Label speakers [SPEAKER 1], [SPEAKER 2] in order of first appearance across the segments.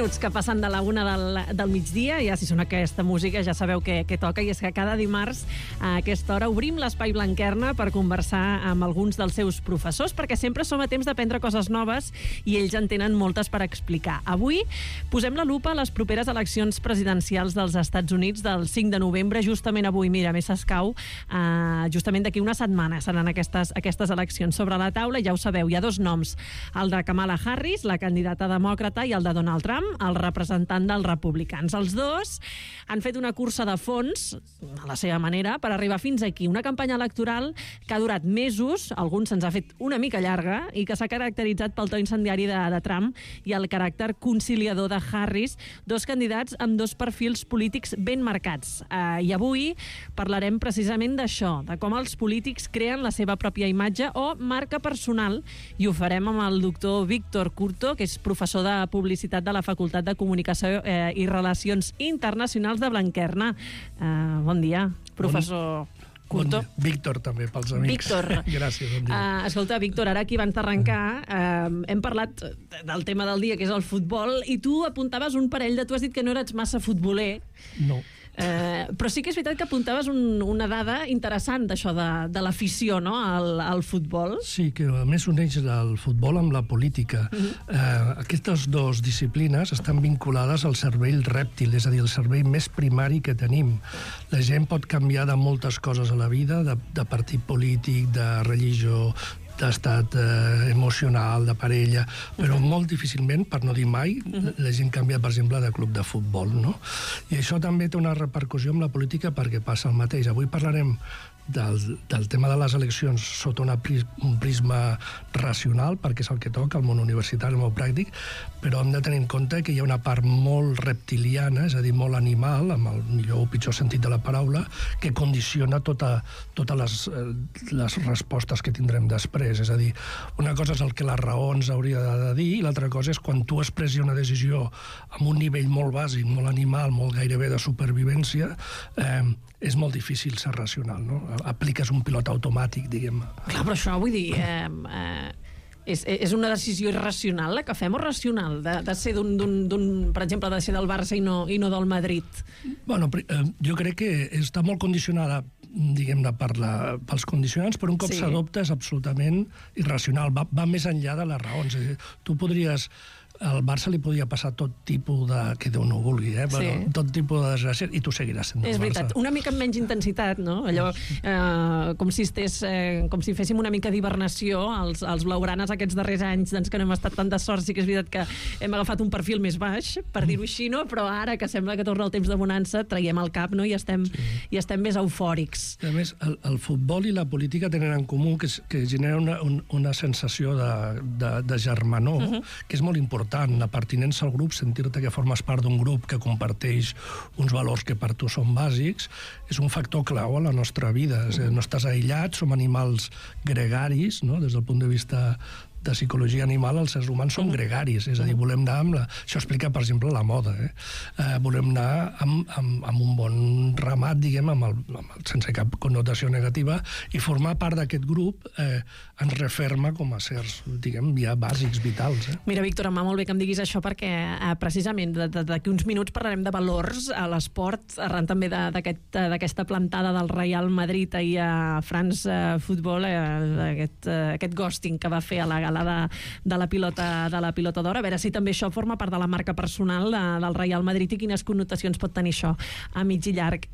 [SPEAKER 1] minuts que passen de la 1 del migdia, ja si sona aquesta música ja sabeu què toca, i és que cada dimarts a aquesta hora obrim l'Espai Blanquerna per conversar amb alguns dels seus professors, perquè sempre som a temps d'aprendre coses noves i ells en tenen moltes per explicar. Avui posem la lupa a les properes eleccions presidencials dels Estats Units del 5 de novembre, justament avui, mira, més escau, justament d'aquí una setmana seran aquestes eleccions sobre la taula, ja ho sabeu, hi ha dos noms, el de Kamala Harris, la candidata demòcrata, i el de Donald Trump, el representant dels republicans. Els dos han fet una cursa de fons, a la seva manera, per arribar fins aquí. Una campanya electoral que ha durat mesos, alguns se'ns ha fet una mica llarga, i que s'ha caracteritzat pel to incendiari de Trump i el caràcter conciliador de Harris, dos candidats amb dos perfils polítics ben marcats. I avui parlarem precisament d'això, de com els polítics creen la seva pròpia imatge o marca personal, i ho farem amb el doctor Víctor Curto, que és professor de publicitat de la Facultat de Comunicació i Relacions Internacionals de Blanquerna. Bon dia, professor Curto.
[SPEAKER 2] Bon dia. Víctor, també, pels amics.
[SPEAKER 1] Víctor.
[SPEAKER 2] Gràcies, bon dia.
[SPEAKER 1] Escolta, Víctor, ara aquí abans d'arrencar hem parlat del tema del dia, que és el futbol, i tu apuntaves un parell tu has dit que no eres massa futboler.
[SPEAKER 2] No.
[SPEAKER 1] Però sí que és veritat que apuntaves una dada interessant d'això de l'afició, no?, al futbol.
[SPEAKER 2] Sí, que a més uneix el futbol amb la política. Aquestes dues disciplines estan vinculades al cervell rèptil, és a dir, el cervell més primari que tenim. La gent pot canviar de moltes coses a la vida, de partit polític, de religió, d'estat emocional, de parella, però molt difícilment, per no dir mai, la gent canvia, per exemple, de club de futbol, no? I això també té una repercussió amb la política perquè passa el mateix. Avui parlarem del tema de les eleccions sota un prisma racional, perquè és el que toca, el món universitari, el món pràctic, però hem de tenir en compte que hi ha una part molt reptiliana, és a dir, molt animal, amb el millor o pitjor sentit de la paraula, que condiciona totes les respostes que tindrem després. És a dir, una cosa és el que la raó ens hauria de dir, i l'altra cosa és quan tu expressis una decisió amb un nivell molt bàsic, molt animal, molt gairebé de supervivència, és molt difícil ser racional, no? Apliques un pilot automàtic, diguem.
[SPEAKER 1] Clar, però això, vull dir, és una decisió irracional la que fem, o racional, de ser per exemple, de ser del Barça i no del Madrid?
[SPEAKER 2] Bueno, jo crec que està molt condicionada, diguem-ne, pels condicionants, però un cop s'adopta és absolutament irracional, va més enllà de les raons. Tu podries... Al Barça li podia passar tot tipus de... que Déu no ho vulgui, bueno, tot tipus de desgràcia, i tu seguiràs sent del Barça. És veritat, una mica amb menys intensitat, no? Allò, com si féssim una mica d'hibernació, els blaugranes aquests darrers anys, doncs, que no hem estat tan de sort, sí que és veritat que hem agafat un perfil més baix, per dir-ho així, no? Però ara que sembla que torna el temps de bonança, traiem el cap, no? I estem més eufòrics. A més, el futbol i la política tenen en comú que genera una sensació de germanor, que és molt important. La pertinença al grup, sentir-te que formes part d'un grup que comparteix uns valors que per tu són bàsics, és un factor clau a la nostra vida. No estàs aïllat, som animals gregaris, no? Des del punt de vista de psicologia animal, els éssers humans són gregaris, és a dir, volem anar amb això explica, per exemple, la moda, volem anar amb un bon ramat, diguem, sense cap connotació negativa, i formar part d'aquest grup ens referma com a sers, diguem, ja bàsics, vitals.
[SPEAKER 1] Mira, Víctor, em va molt bé que em diguis això, perquè precisament d'aquí uns minuts parlarem de valors a l'esport, arran també d'aquesta plantada del Real Madrid ahir a France Football, aquest ghosting que va fer a la de la pilota d'or, a veure si també això forma part de la marca personal del Real Madrid i quines connotacions pot tenir això a mig i llarg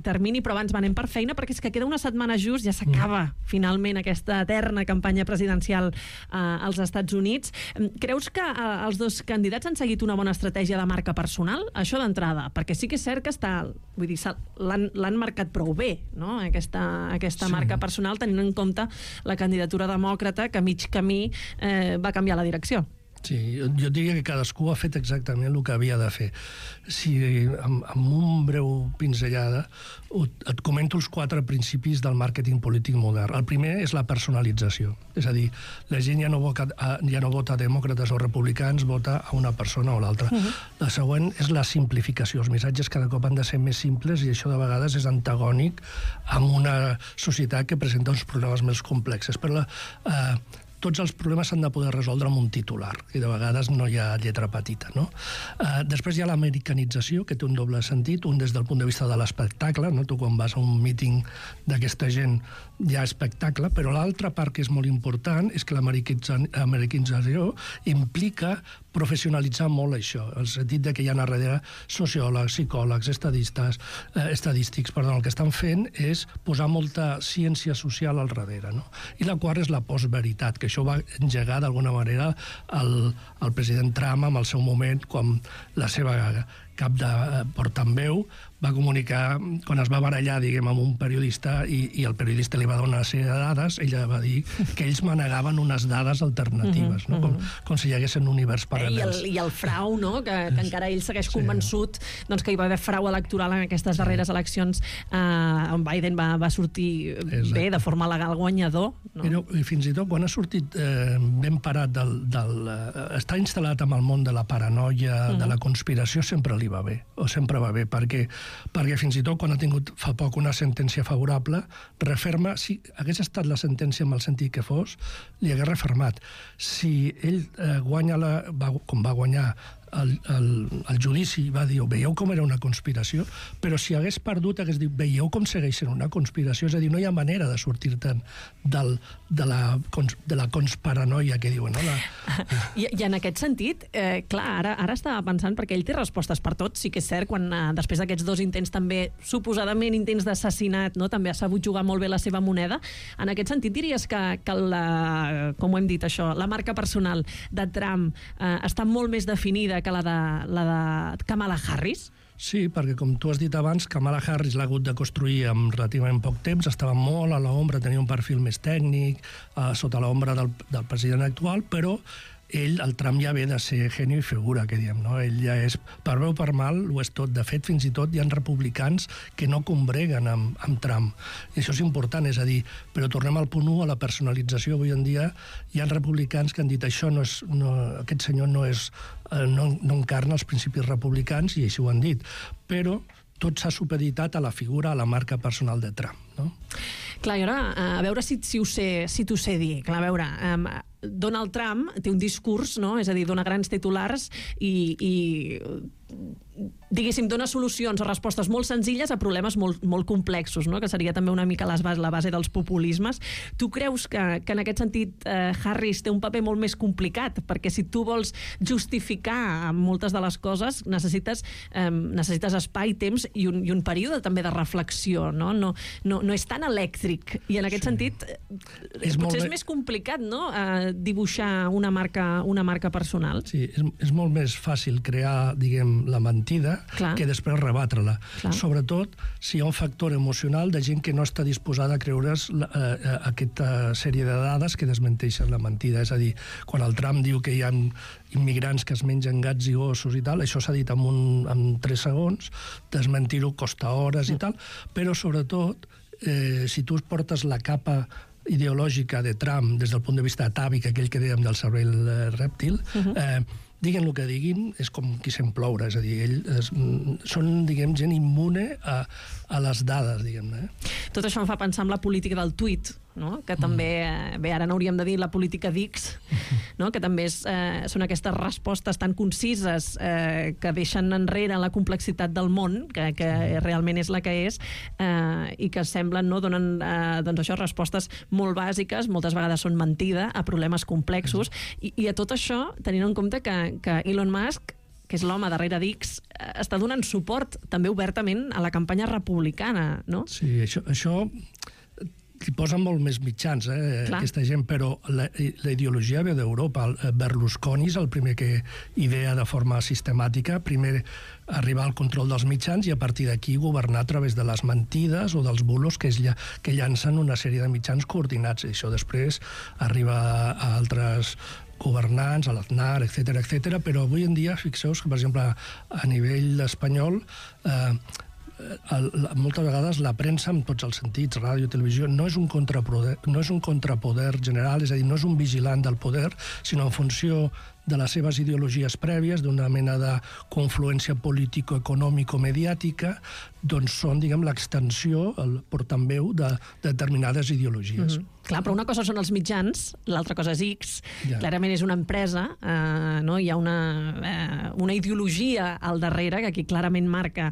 [SPEAKER 1] termini. Però abans anem per feina, perquè és que queda una setmana just, ja s'acaba finalment aquesta eterna campanya presidencial als Estats Units. Creus que els dos candidats han seguit una bona estratègia de marca personal? Això d'entrada, perquè sí que és cert que l'han marcat prou bé, no? Aquesta marca personal, tenint en compte la candidatura demòcrata, que a mig camí va canviar la direcció.
[SPEAKER 2] Sí, jo diria que cadascú ha fet exactament el que havia de fer. Si amb un breu pinzellada et comento els 4 principis del màrqueting polític modern. El primer és la personalització. És a dir, la gent ja no vota demòcrates o republicans, vota a una persona o l'altra. La següent és la simplificació. Els missatges cada cop han de ser més simples i això de vegades és antagònic amb una societat que presenta uns problemes més complexes. Però tots els problemes s'han de poder resoldre amb un titular, i de vegades no hi ha lletra petita, no? Després hi ha l'americanització, que té un doble sentit, un des del punt de vista de l'espectacle, no? Tu quan vas a un míting d'aquesta gent hi ha espectacle, però l'altra part que és molt important és que l'americanització implica professionalitzar molt això, el sentit de que hi ha a darrere sociòlegs, psicòlegs, estadístics, el que estan fent és posar molta ciència social al darrere, no? I la quarta és la postveritat, que això va engegar d'alguna manera el president Trump en el seu moment, quan la seva cap de portaveu va comunicar, quan es va barallar, diguem, amb un periodista i el periodista li va donar una sèrie de dades, ella va dir que ells manegaven unes dades alternatives, no? Com si hi hagués un univers paral·lels.
[SPEAKER 1] I el frau, no? Que encara ell segueix convençut que hi va haver frau electoral en aquestes darreres eleccions on Biden va sortir bé, de forma legal guanyador.
[SPEAKER 2] Però fins i tot quan ha sortit ben parat està instal·lat en el món de la paranoia, de la conspiració, sempre li va bé, o sempre va bé, perquè fins i tot quan ha tingut fa poc una sentència favorable, referma, si hagués estat la sentència amb el sentit que fos, li hagués refermat. Si ell guanya, com va guanyar el judici, va dir, veieu com era una conspiració, però si hagués perdut hagués dit, veieu com segueix sent una conspiració, és a dir, no hi ha manera de sortir-te'n de la consparanoia que diuen, no?
[SPEAKER 1] I en aquest sentit, clar, ara estava pensant, perquè ell té respostes per tot, sí que és cert, quan després d'aquests 2 intents també, suposadament intents d'assassinat, no? També ha sabut jugar molt bé la seva moneda. En aquest sentit diries que com ho hem dit això, la marca personal de Trump està molt més definida que la de Kamala Harris?
[SPEAKER 2] Sí, perquè com tu has dit abans, Kamala Harris l'ha hagut de construir en relativament poc temps, estava molt a l'ombra, tenia un perfil més tècnic, sota l'ombra del president actual, però el Trump ja ve de ser genio i figura, que diem, no? Ell ja és, per bé o per mal, ho és tot. De fet, fins i tot hi ha republicans que no combreguen amb Trump. I això és important, és a dir, però tornem al punt 1, a la personalització. Avui en dia hi ha republicans que han dit aquest senyor no encarna els principis republicans, i així ho han dit. Però tot s'ha supeditat a la figura, a la marca personal de Trump, no?
[SPEAKER 1] Clar, i ara, a veure si t'ho sé dir. Clar, a veure, Donald Trump té un discurs, no? És a dir, dona grans titulars i diguéssim, dona solucions o respostes molt senzilles a problemes molt complexos, no? Que seria també una mica la base dels populismes. Tu creus que en aquest sentit Harris té un paper molt més complicat? Perquè si tu vols justificar moltes de les coses, necessites espai, temps i un període també de reflexió, no? No és tan elèctric. I en aquest sentit potser és més complicat, no? Dibuixar una marca personal.
[SPEAKER 2] Sí, és molt més fàcil crear, diguem, la mentida que després rebatre-la. Sobretot si hi ha un factor emocional de gent que no està disposada a creure's aquesta sèrie de dades que desmenteixen la mentida. És a dir, quan el Trump diu que hi ha immigrants que es mengen gats i gossos i tal, això s'ha dit en 3 segons, desmentir-ho costa hores i tal, però sobretot si tu portes la capa ideològica de Trump des del punt de vista atàvic, aquell que dèiem del cervell rèptil, diguin el que diguin, és com qui sent ploure, és a dir, ells són, diguem, gent immune a les dades, diguem-ne.
[SPEAKER 1] Tot això em fa pensar en la política del tuit, no? Que també, bé, ara n'hauríem de dir la política d'X, no? Que també són aquestes respostes tan concises que deixen enrere la complexitat del món, que realment és la que és, i que semblen, no? Donen doncs això, respostes molt bàsiques, moltes vegades són mentida, a problemes complexos, i a tot això, tenint en compte que Elon Musk, que és l'home darrere d'X, està donant suport també obertament a la campanya republicana, no?
[SPEAKER 2] Sí, això hi posen molt més mitjans, aquesta gent, però la ideologia ve d'Europa. Berlusconi és el primer que idea de forma sistemàtica, primer arribar al control dels mitjans i a partir d'aquí governar a través de les mentides o dels bulos que llancen una sèrie de mitjans coordinats. I això després arriba a altres governants, a l'Aznar, etc. Però avui en dia, fixeu-vos que, per exemple, a nivell espanyol, moltes vegades la premsa, en tots els sentits, ràdio, televisió, no és un contrapoder general, és a dir, no és un vigilant del poder, sinó en funció de les seves ideologies prèvies, d'una mena de confluència político-econòmico-mediàtica, doncs són, diguem, l'extensió, el portaveu de determinades ideologies.
[SPEAKER 1] Clar, però una cosa són els mitjans, l'altra cosa és X. Clarament és una empresa, hi ha una ideologia al darrere que aquí clarament marca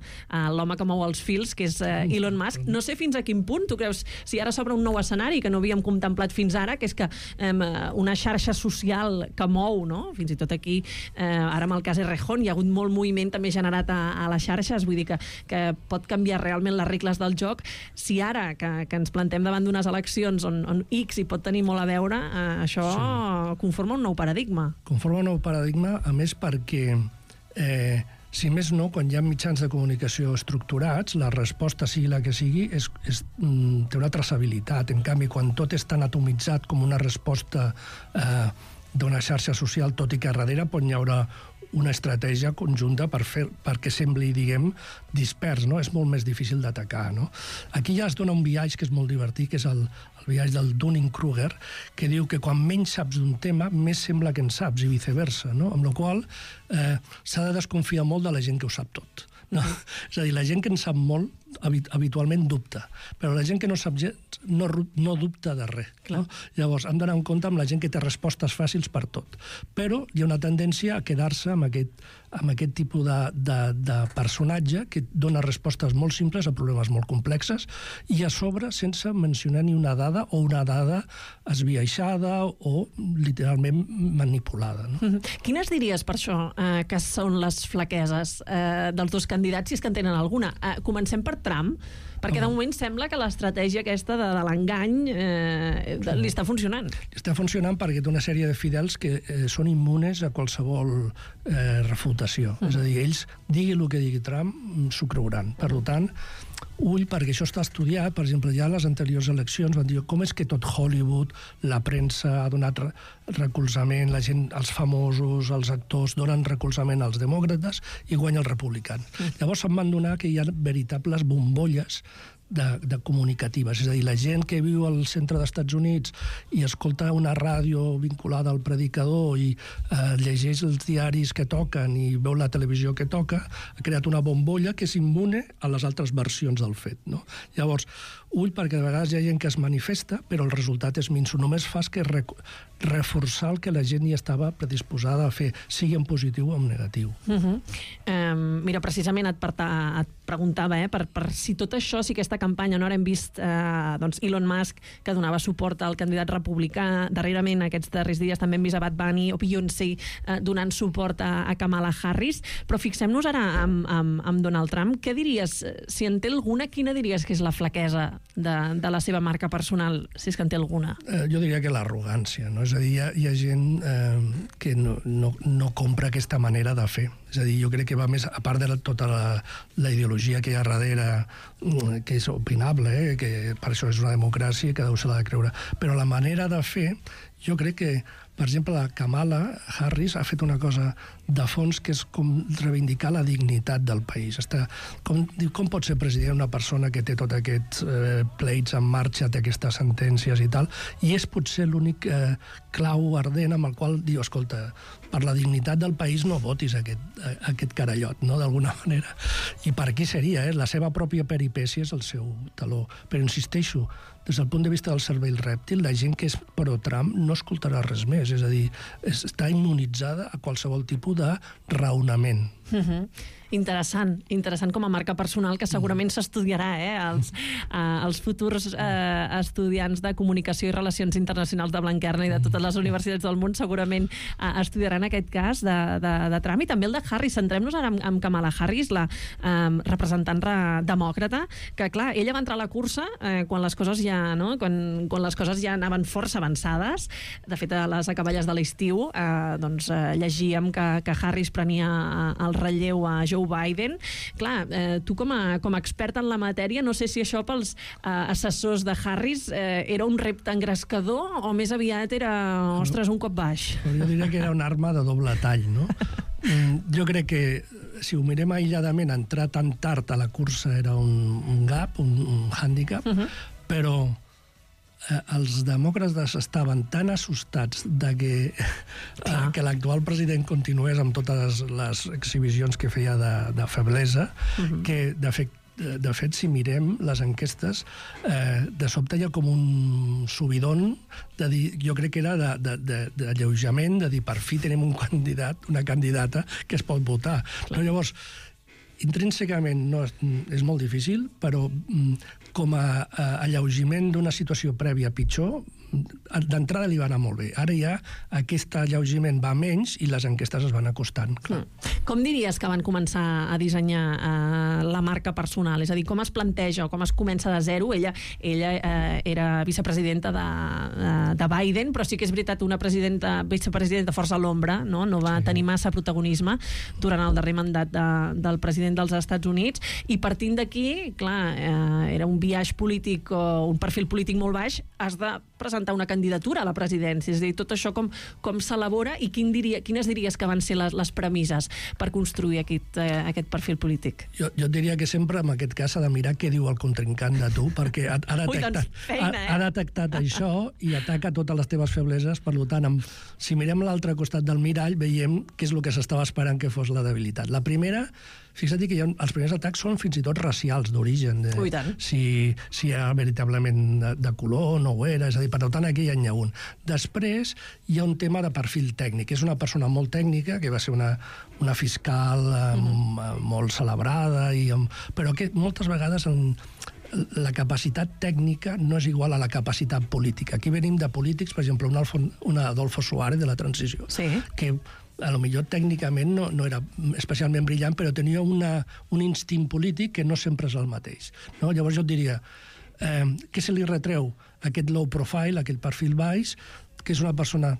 [SPEAKER 1] l'home que mou els fils, que és Elon Musk. No sé fins a quin punt tu creus, si ara s'obre un nou escenari que no havíem contemplat fins ara, que és que una xarxa social que mou, no? Fins i tot aquí, ara amb el cas Errejón, hi ha hagut molt moviment també generat a les xarxes, vull dir que pot canviar realment les regles del joc. Si ara que ens plantem davant d'unes eleccions on X hi pot tenir molt a veure, això conforma un nou paradigma.
[SPEAKER 2] Conforma un nou paradigma, a més perquè, si més no, quan hi ha mitjans de comunicació estructurats, la resposta, sigui la que sigui, té una traçabilitat. En canvi, quan tot és tan atomitzat com una resposta d'una xarxa social, tot i que darrere pot hi haurà una estratègia conjunta perquè sembli, diguem, dispers, no? És molt més difícil d'atacar, no? Aquí ja es dona un biaix que és molt divertit, que és el biaix del Dunning-Kruger, que diu que quan menys saps d'un tema, més sembla que en saps, i viceversa, no? Amb la qual s'ha de desconfiar molt de la gent que ho sap tot. No? És a dir, la gent que en sap molt habitualment dubta, però la gent que no sap gens no dubta de res. No? Llavors, hem d'anar en compte amb la gent que té respostes fàcils per tot. Però hi ha una tendència a quedar-se amb aquest tipus de personatge que dona respostes molt simples a problemes molt complexes i a sobre sense mencionar ni una dada o una dada esbiaixada o literalment manipulada. No?
[SPEAKER 1] Quines diries per això que són les flaqueses dels dos candidats, si és que en tenen alguna? Comencem per Trump, perquè de moment sembla que l'estratègia aquesta de l'engany li està funcionant.
[SPEAKER 2] Està funcionant perquè té una sèrie de fidels que són immunes a qualsevol refutació. És a dir, ells, digui el que digui Trump, s'ho creuran. Per tant, ull, perquè això està estudiat. Per exemple, ja a les anteriors eleccions van dir com és que tot Hollywood, la premsa ha donat recolzament, la gent, els famosos, els actors donen recolzament als demòcrates i guanya els republicans. Llavors se'n van donar que hi ha veritables bombolles de comunicatives. És a dir, la gent que viu al centre dels Estats Units i escolta una ràdio vinculada al predicador i llegeix els diaris que toquen i veu la televisió que toca, ha creat una bombolla que és immune a les altres versions del fet. No? Llavors, ull, perquè de vegades hi ha gent que es manifesta, però el resultat és minso. Només fas que reforçar el que la gent ja estava predisposada a fer, sigui en positiu o en negatiu.
[SPEAKER 1] Mira, precisament et preguntava per si tot això, si aquesta campanya, no ara hem vist Elon Musk que donava suport al candidat republicà, darrerament aquests darrers dies també hem vist a Bad Bunny o Beyoncé donant suport a Kamala Harris, però fixem-nos ara amb Donald Trump. Què diries, si en té alguna, quina diries que és la flaquesa de la seva marca personal, si és que en té alguna?
[SPEAKER 2] Jo diria que l'arrogància, no? És a dir, hi ha gent que no compra aquesta manera de fer. És a dir, jo crec que va més, a part de tota la ideologia que hi ha darrere, que és opinable, que per això és una democràcia i cadascú se l'ha de creure. Però la manera de fer, jo crec que, per exemple, la Kamala Harris ha fet una cosa de fons que és com reivindicar la dignitat del país. Com pot ser president una persona que té tots aquests pleits en marxa, té aquestes sentències i tal, i és potser l'únic clau ardent amb el qual diu, escolta, per la dignitat del país no votis aquest carallot, no?, d'alguna manera. I per aquí seria, la seva pròpia peripècia és el seu taló. Però insisteixo, des del punt de vista del cervell rèptil, la gent que és pro-Trump no escoltarà res més. És a dir, està immunitzada a qualsevol tipus de raonament.
[SPEAKER 1] Interessant com a marca personal, que segurament s'estudiarà, els futurs estudiants de Comunicació i Relacions Internacionals de Blanquerna i de totes les universitats del món segurament estudiaran aquest cas de Trump, i també el de Harris. Centrem-nos ara en Kamala Harris, la representant demòcrata, que clar, ella va entrar a la cursa quan les coses quan les coses ja anaven força avançades. De fet, a les acaballes de l'estiu llegíem que Harris prenia el relleu a Joe Biden. Clar, tu com a expert en la matèria, no sé si això pels assessors de Harris era un repte engrescador o més aviat era, ostres, un cop baix.
[SPEAKER 2] Jo diria que era una arma de doble tall, no? Jo crec que si ho mirem aïlladament, entrar tan tard a la cursa era un gap, un hàndicap, però els demòcrates estaven tan assustats de que l'actual president continués amb totes les exhibicions que feia de feblesa, que de fet de fet, si mirem les enquestes, de sobte hi ha com un subidon de dir, jo crec que era d'alleujament, de dir, per fi tenim un candidat, una candidata que es pot votar. Però llavors, intrínsecament és molt difícil, però com a alleugiment d'una situació prèvia pitjor, d'entrada li va anar molt bé. Ara ja aquest alleugiment va menys i les enquestes es van acostant.
[SPEAKER 1] Com diries que van començar a dissenyar la marca personal? És a dir, com es planteja o com es comença de zero? Ella era vicepresidenta de Biden, però sí que és veritat una vicepresidenta força a l'ombra, no va tenir massa protagonisme durant el darrer mandat del president dels Estats Units, i partint d'aquí, clar, era un biaix polític o un perfil polític molt baix, has de presentar una candidatura a la presidència. És a dir, tot això com s'elabora i quines diries que van ser les premisses per construir aquest perfil polític?
[SPEAKER 2] Jo et diria que sempre en aquest cas s'ha de mirar què diu el contrincant de tu, perquè ha detectat això i ataca totes les teves febleses. Per tant, si mirem l'altre costat del mirall, veiem què és el que s'estava esperant que fos la debilitat. La primera, fixa't que els primers atacs són fins i tot racials, d'origen. Si hi ha veritablement de color, no ho era, és a dir, per tant, aquí hi ha un. Després hi ha un tema de perfil tècnic. És una persona molt tècnica, que va ser una fiscal molt celebrada, però que moltes vegades la capacitat tècnica no és igual a la capacitat política. Aquí venim de polítics, per exemple, un Adolfo Suárez de la transició, que a lo millor tècnicament no era especialment brillant, però tenia un instint polític que no sempre és el mateix. Llavors jo et diria, què se li retreu? Aquest low profile, aquest perfil baix, que és una persona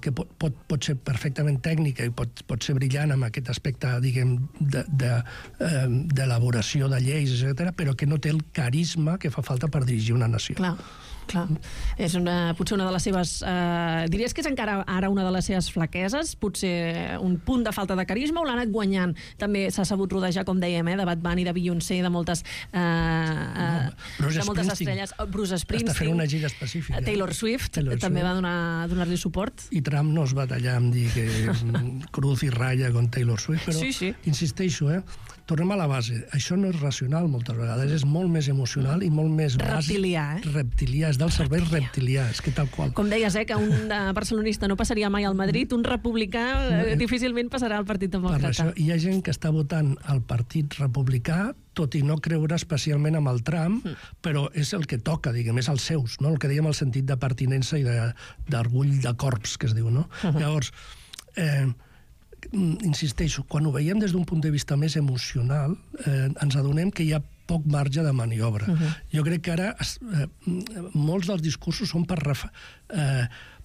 [SPEAKER 2] que pot ser perfectament tècnica i pot ser brillant amb aquest aspecte, diguem, d'elaboració de lleis, etc., però que no té el carisma que fa falta per dirigir una nació.
[SPEAKER 1] Clar. És potser una de les seves... diries que és encara ara una de les seves flaqueses? Potser un punt de falta de carisma o l'ha anat guanyant? També s'ha sabut rodejar, com dèiem, de Bad Bunny, de Beyoncé, de moltes estrelles. Bruce Springsteen.
[SPEAKER 2] Està fent una gira específica.
[SPEAKER 1] Taylor Swift també va donar-li suport.
[SPEAKER 2] I Trump no es va tallar amb dir que cruz i ratlla con Taylor Swift, però insisteixo, tornem a la base. Això no és racional moltes vegades, és molt més emocional i molt més
[SPEAKER 1] reptilià,
[SPEAKER 2] reptilià, és del cervell reptilià, és que tal qual.
[SPEAKER 1] Com deies, que un barcelonista no passaria mai al Madrid, un republicà difícilment passarà al Partit Demòcrata.
[SPEAKER 2] Per això hi ha gent que està votant al Partit Republicà, tot i no creure especialment amb el Trump, però és el que toca, diguem, és els seus, no? El que dèiem el sentit de pertinença i d'orgull de corps, que es diu, no? Llavors, insisteixo, quan ho veiem des d'un punt de vista més emocional, ens adonem que hi ha poc marge de maniobra. Jo crec que ara molts dels discursos són per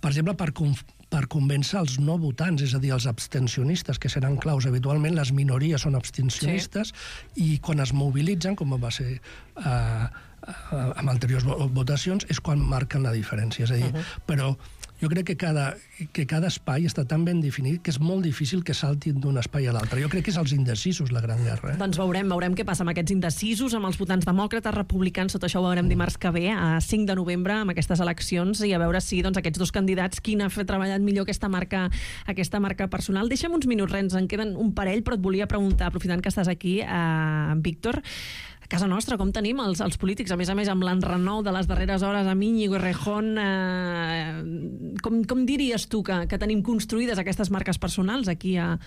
[SPEAKER 2] exemple, per convèncer els no votants, és a dir, els abstencionistes, que seran claus. Habitualment les minories són abstencionistes i quan es mobilitzen, com va ser amb anteriors votacions, és quan marquen la diferència. És a dir, però jo crec que cada espai està tan ben definit que és molt difícil que saltin d'un espai a l'altre. Jo crec que és els indecisos la gran guerra.
[SPEAKER 1] Doncs veurem què passa amb aquests indecisos, amb els votants demòcrates, republicans, tot això ho veurem dimarts que ve, a 5 de novembre, amb aquestes eleccions, i a veure si aquests dos candidats, quin ha treballat millor aquesta marca personal. Deixa'm uns minuts, ens en queden un parell, però et volia preguntar, aprofitant que estàs aquí, Víctor, a casa nostra, com tenim els polítics? A més, amb l'enrenou de les darreres hores amb Íñigo Errejón, com diries tu que tenim construïdes aquestes marques personals aquí a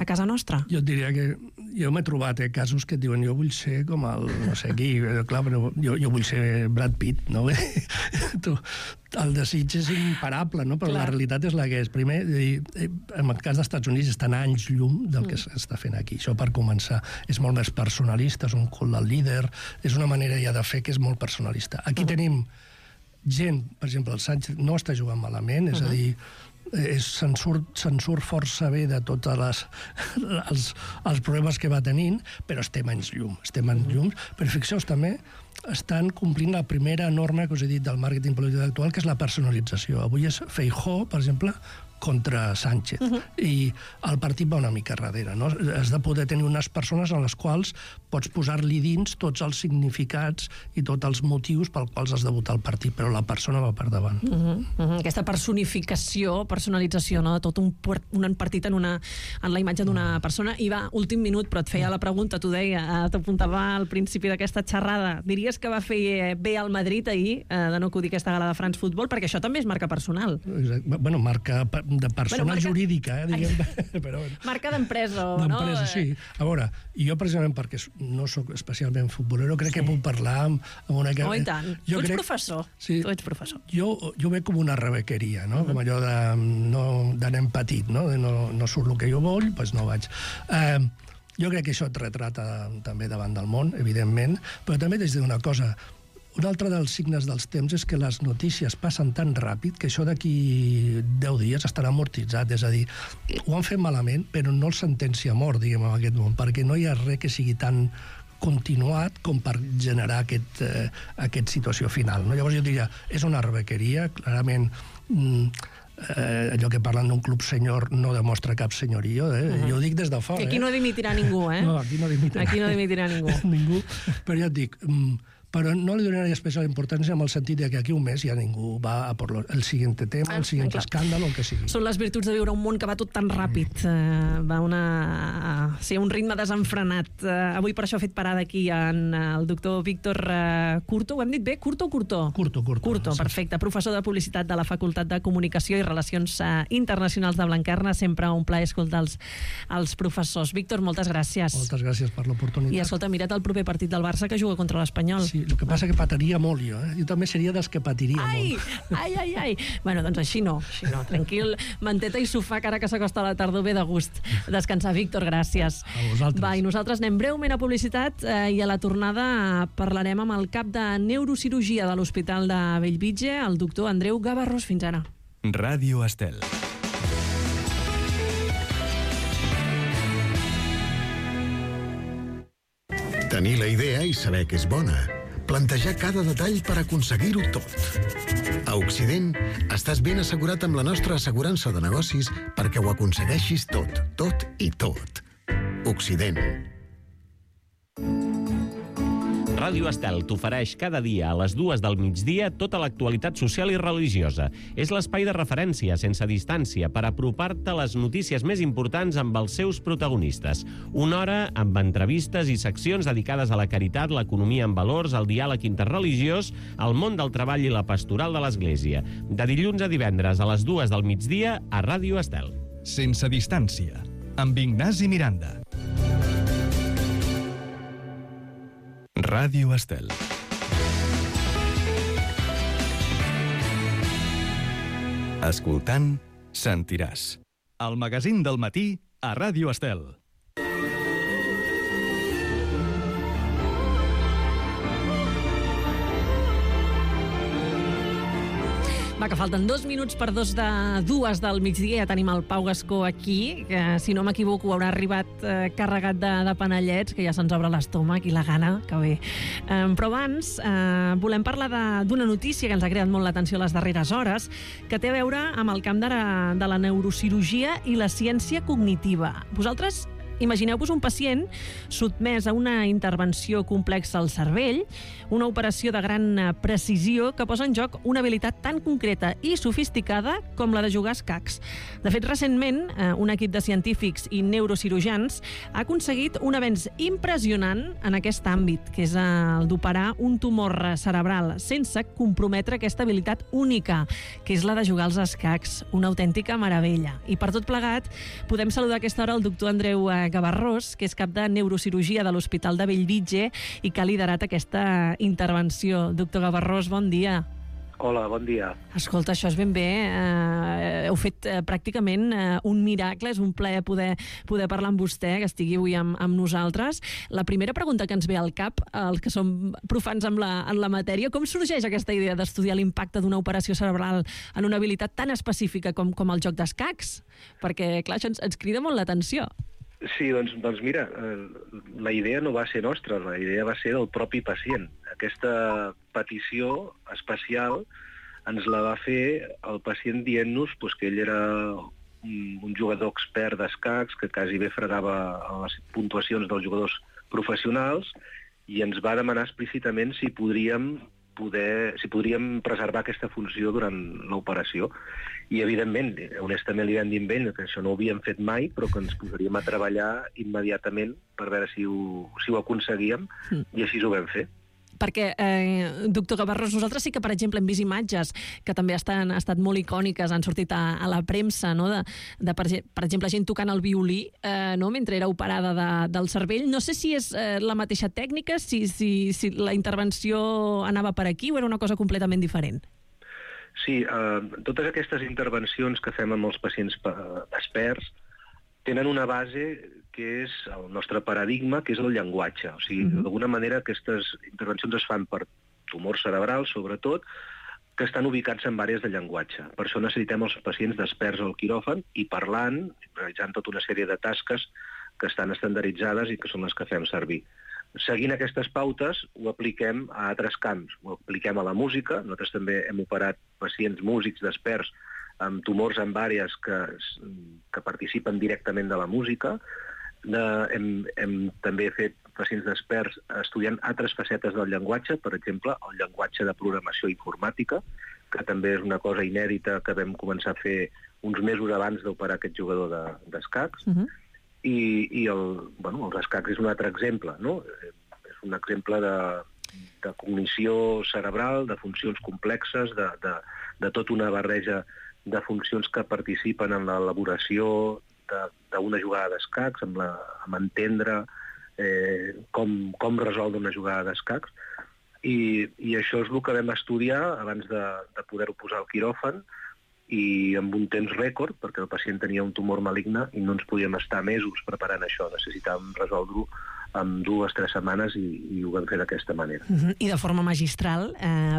[SPEAKER 1] casa nostra?
[SPEAKER 2] Jo et diria que jo m'he trobat casos que et diuen jo vull ser com el no sé qui, clar, però jo vull ser Brad Pitt, no? El desig és imparable, no? Però la realitat és la que és. Primer, en el cas dels Estats Units estan anys llum del que s'està fent aquí. Això per començar. És molt més personalista, és un cult del líder, és una manera ja de fer que és molt personalista. Aquí tenim gent, per exemple, el Sánchez no està jugant malament, és a dir, se'n surt força bé de tots els problemes que va tenint, però estem anys llum. Però fixeu-vos també, estan complint la primera norma que us he dit del màrqueting polític actual, que és la personalització. Avui és Feijóo, per exemple, contra Sánchez. I el partit va una mica darrere, no? Has de poder tenir unes persones en les quals pots posar-li dins tots els significats i tots els motius pels quals has de votar el partit, però la persona va per davant.
[SPEAKER 1] Aquesta personificació, personalització, no? De tot un partit en la imatge d'una persona. I va, últim minut, però et feia la pregunta, t'ho deia, t'apuntava al principi d'aquesta xerrada. Diries que va fer bé al Madrid ahir de no acudir a aquesta gala de France Football, perquè això també és marca personal.
[SPEAKER 2] Bueno, marca de persona jurídica, diguem. Però,
[SPEAKER 1] marca d'empresa, no?
[SPEAKER 2] D'empresa, sí. A veure, jo precisament perquè no sóc especialment futbolero, crec que puc parlar amb una...
[SPEAKER 1] Oh, i tant. Tu ets professor. Tu ets professor.
[SPEAKER 2] Jo veig com una rebequeria, no? Com allò de nen petit, no? No surt el que jo vull, doncs no vaig. Jo crec que això et retrata també davant del món, evidentment, però també t'haig de dir una cosa. Un altre dels signes dels temps és que les notícies passen tan ràpid que això d'aquí 10 dies estarà amortitzat. És a dir, ho han fet malament, però no el sentencia a mort, diguem, en aquest món, perquè no hi ha res que sigui tan continuat com per generar aquesta situació final. No? Llavors jo diria, és una rebequeria, clarament... allò que parlen d'un club senyor no demostra cap senyorio, jo ho dic des de fora.
[SPEAKER 1] Aquí no dimitirà ningú,
[SPEAKER 2] No, aquí no dimitirà ningú. Però ja et dic, però no li donaria especial importància en el sentit que aquí un mes ja ningú va a per el següent tema, el següent escàndol, el que sigui.
[SPEAKER 1] Són les virtuts de viure un món que va tot tan ràpid. Va un ritme desenfrenat. Avui per això ha fet parada aquí en el doctor Víctor Curto. Ho hem dit bé? Curto o Curtó? Curto, perfecte. Professor de Publicitat de la Facultat de Comunicació i Relacions Internacionals de Blanquerna. Sempre un plaer escoltar els professors. Víctor, moltes gràcies.
[SPEAKER 2] Moltes gràcies per l'oportunitat.
[SPEAKER 1] I escolta, mira't el proper partit del Barça que juga contra l'Espanyol.
[SPEAKER 2] Sí, el que passa que patiria molt jo, Jo també seria dels que patiria molt.
[SPEAKER 1] Ai. Bueno, doncs així no. Tranquil, manteta i sofà, que ara que s'acosta la tardor ve de gust descansar. Víctor, gràcies.
[SPEAKER 2] A vosaltres.
[SPEAKER 1] Va, i nosaltres anem breument a publicitat i a la tornada parlarem amb el cap de neurocirurgia de l'Hospital de Bellvitge, el doctor Andreu Gavarrós. Fins ara.
[SPEAKER 3] Ràdio Estel.
[SPEAKER 4] Tenir la idea i saber que és bona. Plantejar cada detall per aconseguir-ho tot. A Occident, estàs ben assegurat amb la nostra assegurança de negocis perquè ho aconsegueixis tot i tot. Occident.
[SPEAKER 5] Ràdio Estel t'ofereix cada dia a les 2 del migdia tota l'actualitat social i religiosa. És l'espai de referència sense distància per apropar-te a les notícies més importants amb els seus protagonistes. Una hora amb entrevistes i seccions dedicades a la caritat, l'economia en valors, el diàleg interreligiós, el món del treball i la pastoral de l'Església. De dilluns a divendres a les 2 del migdia a Ràdio Estel.
[SPEAKER 3] Sense distància, amb Ignasi Miranda. Ràdio Estel. Escoltant, sentiràs. El magazín del matí a Ràdio Estel.
[SPEAKER 1] Va, que falten 2 minuts per 2 del migdia. Ja tenim el Pau Gascó aquí, que, si no m'equivoco, haurà arribat carregat de panellets, que ja se'ns obre l'estómac i la gana, que bé. Però abans volem parlar d'una notícia que ens ha creat molt l'atenció les darreres hores, que té a veure amb el camp de la neurocirurgia i la ciència cognitiva. Vosaltres imagineu-vos un pacient sotmès a una intervenció complexa al cervell, una operació de gran precisió que posa en joc una habilitat tan concreta i sofisticada com la de jugar a escacs. De fet, recentment, un equip de científics i neurocirurgians ha aconseguit un avenç impressionant en aquest àmbit, que és el d'operar un tumor cerebral sense comprometre aquesta habilitat única, que és la de jugar als escacs. Una autèntica meravella. I per tot plegat, podem saludar a aquesta hora el doctor Andreu Gavarrós, que és cap de neurocirurgia de l'Hospital de Bellvitge i que ha liderat aquesta intervenció. Doctor Gavarrós, bon dia.
[SPEAKER 6] Hola, bon dia.
[SPEAKER 1] Escolta, això és ben bé. Heu fet pràcticament un miracle. És un plaer poder parlar amb vostè, que estigui avui amb nosaltres. La primera pregunta que ens ve al cap, els que som profans en la matèria, com sorgeix aquesta idea d'estudiar l'impacte d'una operació cerebral en una habilitat tan específica com el joc d'escacs? Perquè, clar, això ens crida molt l'atenció.
[SPEAKER 6] Sí, doncs mira, la idea no va ser nostra, la idea va ser del propi pacient. Aquesta petició especial ens la va fer el pacient dient-nos que ell era un jugador expert d'escacs, que quasi bé fregava les puntuacions dels jugadors professionals, i ens va demanar explícitament si podríem preservar aquesta funció durant l'operació. I, evidentment, honestament li vam dir a ell que això no ho havíem fet mai, però que ens posaríem a treballar immediatament per veure si ho aconseguíem, i així ho vam fer.
[SPEAKER 1] Perquè, doctor Gavarrós, nosaltres sí que, per exemple, hem vist imatges que també han estat molt icòniques, han sortit a la premsa, no? de per exemple, gent tocant el violí mentre era operada del cervell. No sé si és la mateixa tècnica, si la intervenció anava per aquí o era una cosa completament diferent.
[SPEAKER 6] Sí, totes aquestes intervencions que fem amb els pacients experts tenen una base que és el nostre paradigma, que és el llenguatge. O sigui, d'alguna manera aquestes intervencions es fan per tumors cerebrals, sobretot, que estan ubicats en àrees de llenguatge. Per això necessitem els pacients experts al quiròfan i parlant, realitzant tota una sèrie de tasques que estan estandarditzades i que són les que fem servir. Seguint aquestes pautes, ho apliquem a altres camps. Ho apliquem a la música. Nosaltres també hem operat pacients músics experts amb tumors en àrees que participen directament de la música. Hem també fet pacients experts estudiant altres facetes del llenguatge, per exemple, el llenguatge de programació informàtica, que també és una cosa inèdita que vam començar a fer uns mesos abans d'operar aquest jugador d'escacs. I els escacs és un altre exemple, no? És un exemple de cognició cerebral, de funcions complexes, de tota una barreja de funcions que participen en l'elaboració d'una jugada d'escacs, amb entendre com resoldre una jugada d'escacs. I això és el que vam estudiar abans de poder-ho posar al quiròfan, i amb un temps rècord, perquè el pacient tenia un tumor maligne i no ens podíem estar mesos preparant això. Necessitàvem resoldre-ho en 2 o 3 setmanes i ho vam fer d'aquesta manera.
[SPEAKER 1] I de forma magistral,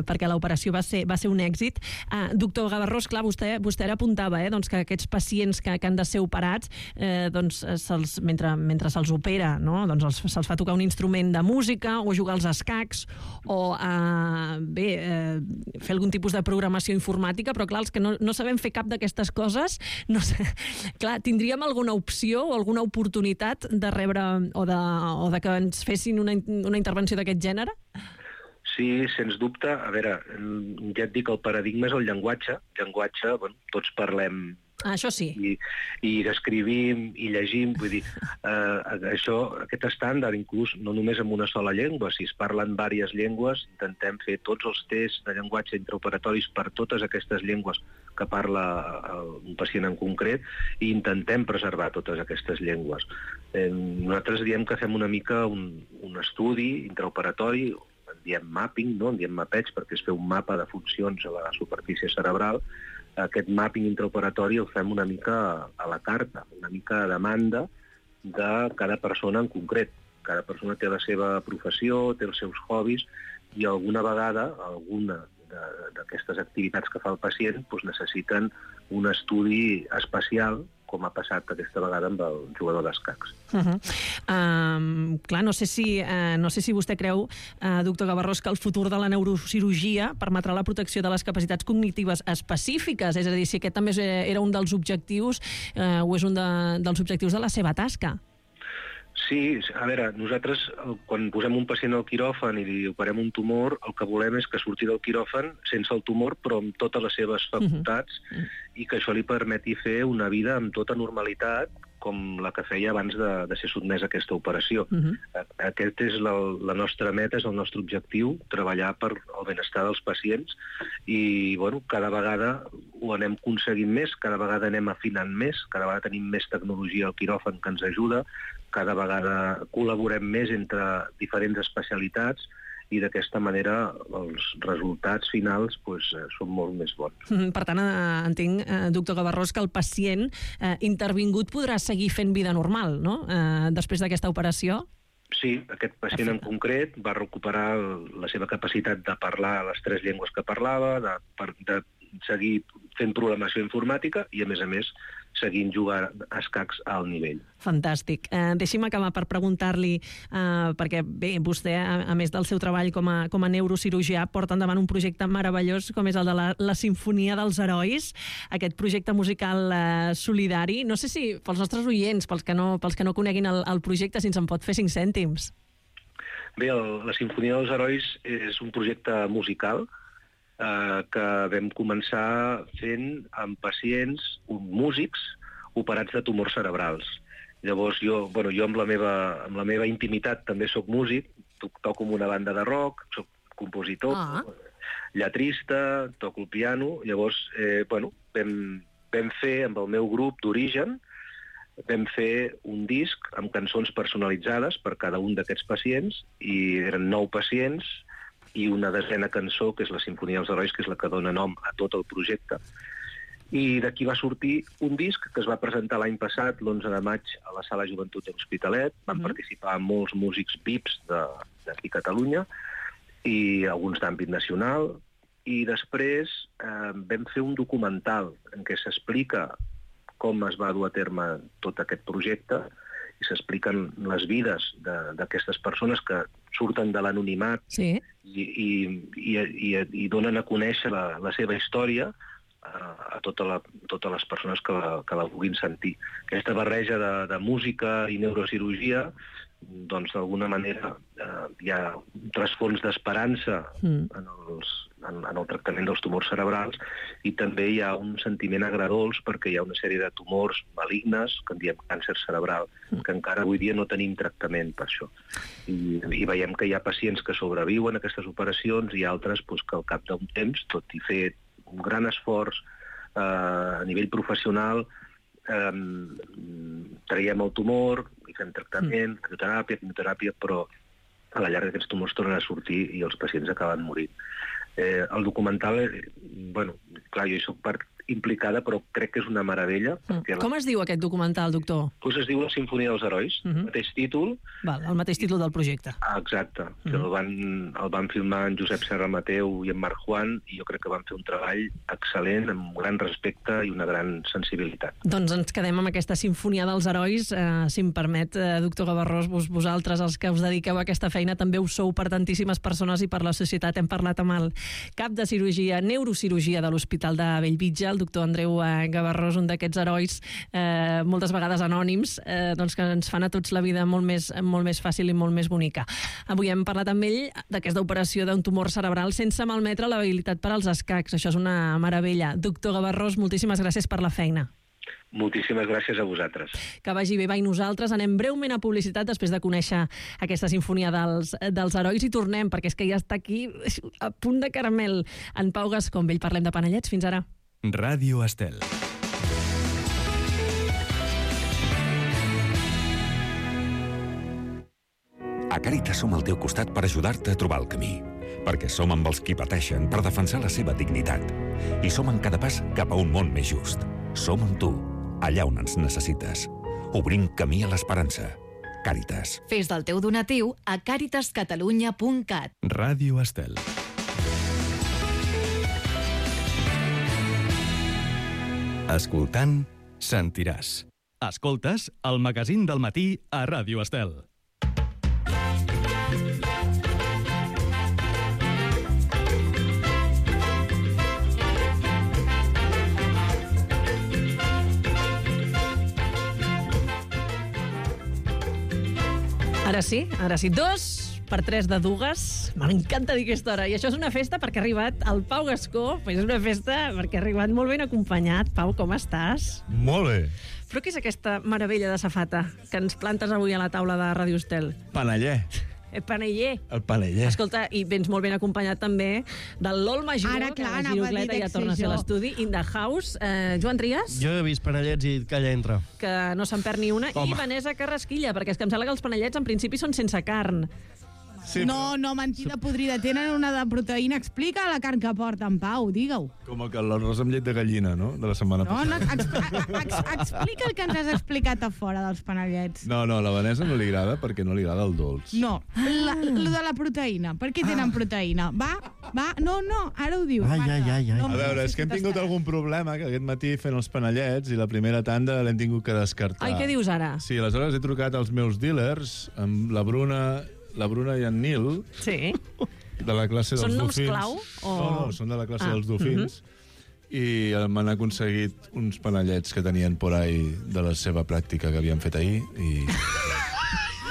[SPEAKER 1] perquè l'operació va ser un èxit. Doctor Gavarrós, clar, vostè ara apuntava que aquests pacients que han de ser operats, mentre se'ls opera, se'ls fa tocar un instrument de música o jugar als escacs o fer algun tipus de programació informàtica, però clar, els que no sabem fer cap d'aquestes coses, clar, tindríem alguna opció o alguna oportunitat de rebre o de que ens fessin una intervenció d'aquest gènere?
[SPEAKER 6] Sí, sens dubte. A veure, ja et dic, el paradigma és el llenguatge. Llenguatge, tots parlem.
[SPEAKER 1] Això sí.
[SPEAKER 6] I escrivim i llegim, vull dir, aquest estàndard, inclús no només en una sola llengua, si es parlen diverses llengües, intentem fer tots els tests de llenguatge intraoperatoris per totes aquestes llengües que parla un pacient en concret, i intentem preservar totes aquestes llengües. Nosaltres diem que fem una mica un estudi intraoperatori, en diem mapping, en diem mapeig, perquè es fa un mapa de funcions a la superfície cerebral. Aquest mapping intraoperatori el fem una mica a la carta, una mica a demanda de cada persona en concret. Cada persona té la seva professió, té els seus hobbies, i alguna vegada, alguna d'aquestes activitats que fa el pacient necessiten un estudi especial, com ha passat aquesta vegada amb el jugador d'escacs.
[SPEAKER 1] Clar, no sé si vostè creu, doctor Gavarrós, que el futur de la neurocirurgia permetrà la protecció de les capacitats cognitives específiques, és a dir, si aquest també era un dels objectius o és un dels objectius de la seva tasca.
[SPEAKER 6] Sí, a veure, nosaltres quan posem un pacient al quiròfan i li operem un tumor, el que volem és que surti del quiròfan sense el tumor, però amb totes les seves facultats, i que això li permeti fer una vida amb tota normalitat, com la que feia abans de ser sotmès a aquesta operació. Aquest és la nostra meta, és el nostre objectiu, treballar per el benestar dels pacients, i cada vegada ho anem aconseguint més, cada vegada anem afinant més, cada vegada tenim més tecnologia al quiròfan que ens ajuda, cada vegada col·laborem més entre diferents especialitats, i d'aquesta manera els resultats finals són molt més bons.
[SPEAKER 1] Per tant, entenc, doctor Gavarrós, que el pacient intervingut podrà seguir fent vida normal, no?, després d'aquesta operació?
[SPEAKER 6] Sí, aquest pacient en concret va recuperar la seva capacitat de parlar les 3 llengües que parlava, de seguir fent programació informàtica, i a més seguint jugant a escacs a alt nivell.
[SPEAKER 1] Fantàstic. Deixi'm acabar per preguntar-li, perquè bé, vostè, a més del seu treball com a neurocirurgià, porta endavant un projecte meravellós com és el de la Simfonia dels Herois, aquest projecte musical solidari. No sé si pels nostres oients, pels que no coneguin el projecte, si ens en pot fer 5 cèntims.
[SPEAKER 6] Bé, la Simfonia dels Herois és un projecte musical que vam començar fent amb pacients, músics, operats de tumors cerebrals. Llavors jo amb la meva intimitat també sóc músic, toco en una banda de rock, soc compositor, lletrista, toco el piano. Llavors, vam fer amb el meu grup d'origen, vam fer un disc amb cançons personalitzades per cada un d'aquests pacients, i eren 9 pacients i una desena cançó, que és la Simfonia dels Herois, que és la que dona nom a tot el projecte. I d'aquí va sortir un disc que es va presentar l'any passat, l'11 de maig, a la Sala Joventut de l'Hospitalet. Van participar molts músics VIPs d'aquí a Catalunya i alguns d'àmbit nacional. I després vam fer un documental en què s'explica com es va dur a terme tot aquest projecte i s'expliquen les vides d'aquestes persones que surten de l'anonimat i donen a conèixer la seva història a totes les persones que la vulguin sentir. Aquesta barreja de música i neurocirurgia, doncs d'alguna manera hi ha un trasfons d'esperança en el tractament dels tumors cerebrals, i també hi ha un sentiment agredolç perquè hi ha una sèrie de tumors malignes, que en diem càncer cerebral, que encara avui dia no tenim tractament per això. I veiem que hi ha pacients que sobreviuen a aquestes operacions i altres que al cap d'un temps, tot i fer un gran esforç a nivell professional, traiem el tumor i fem tractament, quimioteràpia, però a la llarga aquests tumors tornen a sortir i els pacients acaben morint. El documental, clar, jo hi soc part implicada, però crec que és una meravella.
[SPEAKER 1] Com es diu aquest documental, doctor?
[SPEAKER 6] Doncs es diu La Simfonia dels Herois, el mateix títol.
[SPEAKER 1] El mateix títol del projecte.
[SPEAKER 6] Exacte. El van filmar en Josep Serra Mateu i en Marc Juan, i jo crec que van fer un treball excel·lent, amb un gran respecte i una gran sensibilitat.
[SPEAKER 1] Doncs ens quedem amb aquesta Simfonia dels Herois. Si em permet, doctor Gavarrós, vosaltres, els que us dediqueu a aquesta feina, també ho sou per tantíssimes persones i per la societat. Hem parlat amb el cap de neurocirurgia de l'Hospital de Bellvitge, el doctor Andreu Gavarrós, un d'aquests herois, moltes vegades anònims, que ens fan a tots la vida molt més fàcil i molt més bonica. Avui hem parlat amb ell d'aquesta operació d'un tumor cerebral sense malmetre l'habilitat per als escacs. Això és una meravella. Doctor Gavarrós, moltíssimes gràcies per la feina.
[SPEAKER 6] Moltíssimes gràcies a vosaltres.
[SPEAKER 1] Que vagi bé. I nosaltres anem breument a publicitat després de conèixer aquesta Simfonia dels Herois i tornem, perquè és que ja està aquí a punt de caramel en Pau Gascó. Amb ell parlem de panellets. Fins ara.
[SPEAKER 3] Ràdio Estel.
[SPEAKER 7] A Càritas som al teu costat per ajudar-te a trobar el camí. Perquè som amb els qui pateixen per defensar la seva dignitat. I som en cada pas cap a un món més just. Som amb tu, allà on ens necessites. Obrim camí a l'esperança. Càritas.
[SPEAKER 8] Fes del teu donatiu a caritascatalunya.cat.
[SPEAKER 3] Ràdio Estel. Escoltant, sentiràs. Escoltes el magazín del matí a Ràdio Estel.
[SPEAKER 1] Ara sí, 2/3 de dues. M'encanta dir aquesta hora. I això és una festa perquè ha arribat el Pau Gascó. Pues és una festa perquè ha arribat molt ben acompanyat. Pau, com estàs?
[SPEAKER 9] Molt bé.
[SPEAKER 1] Però què és aquesta meravella de safata que ens plantes avui a la taula de Ràdio Estel?
[SPEAKER 9] Paneller.
[SPEAKER 1] El paneller.
[SPEAKER 9] El paneller.
[SPEAKER 1] Escolta, i vens molt ben acompanyat també del LOL Major,
[SPEAKER 10] Ara, clar,
[SPEAKER 1] que la Girocleta ja torna a ser l'estudi. In the house. Joan Trias.
[SPEAKER 11] Jo he vist panellets i calla entra.
[SPEAKER 1] Que no se'n perd ni una.
[SPEAKER 11] Home.
[SPEAKER 1] I Vanessa Carrasquilla, perquè és que em sembla que els panellets en principi són sense carn.
[SPEAKER 9] Sí, no, mentida podrida. Tenen una de proteïna. Explica la carn que porten, Pau, digue-ho.
[SPEAKER 10] Com que l'arròs amb llet de gallina, no? De la setmana passada.
[SPEAKER 9] Explica el que ens has explicat a fora dels panellets.
[SPEAKER 10] No, la Vanessa no li agrada perquè no li agrada el dolç.
[SPEAKER 9] No, lo de la proteïna. Per què tenen proteïna? Va, no, ara ho diu.
[SPEAKER 11] Ai.
[SPEAKER 10] A veure, és que hem tingut algun problema que aquest matí fent els panellets i la primera tanda l'hem tingut que descartar.
[SPEAKER 1] Ai, què dius ara?
[SPEAKER 10] Sí, aleshores he trucat als meus dealers, amb la Bruna i en Nil,
[SPEAKER 1] Sí.
[SPEAKER 10] de la classe dels
[SPEAKER 1] Són noms
[SPEAKER 10] dofins.
[SPEAKER 1] clau?
[SPEAKER 10] No, són de la classe dels dofins. I m'han aconseguit uns panellets que tenien por ahí de la seva pràctica que havien fet ahir i...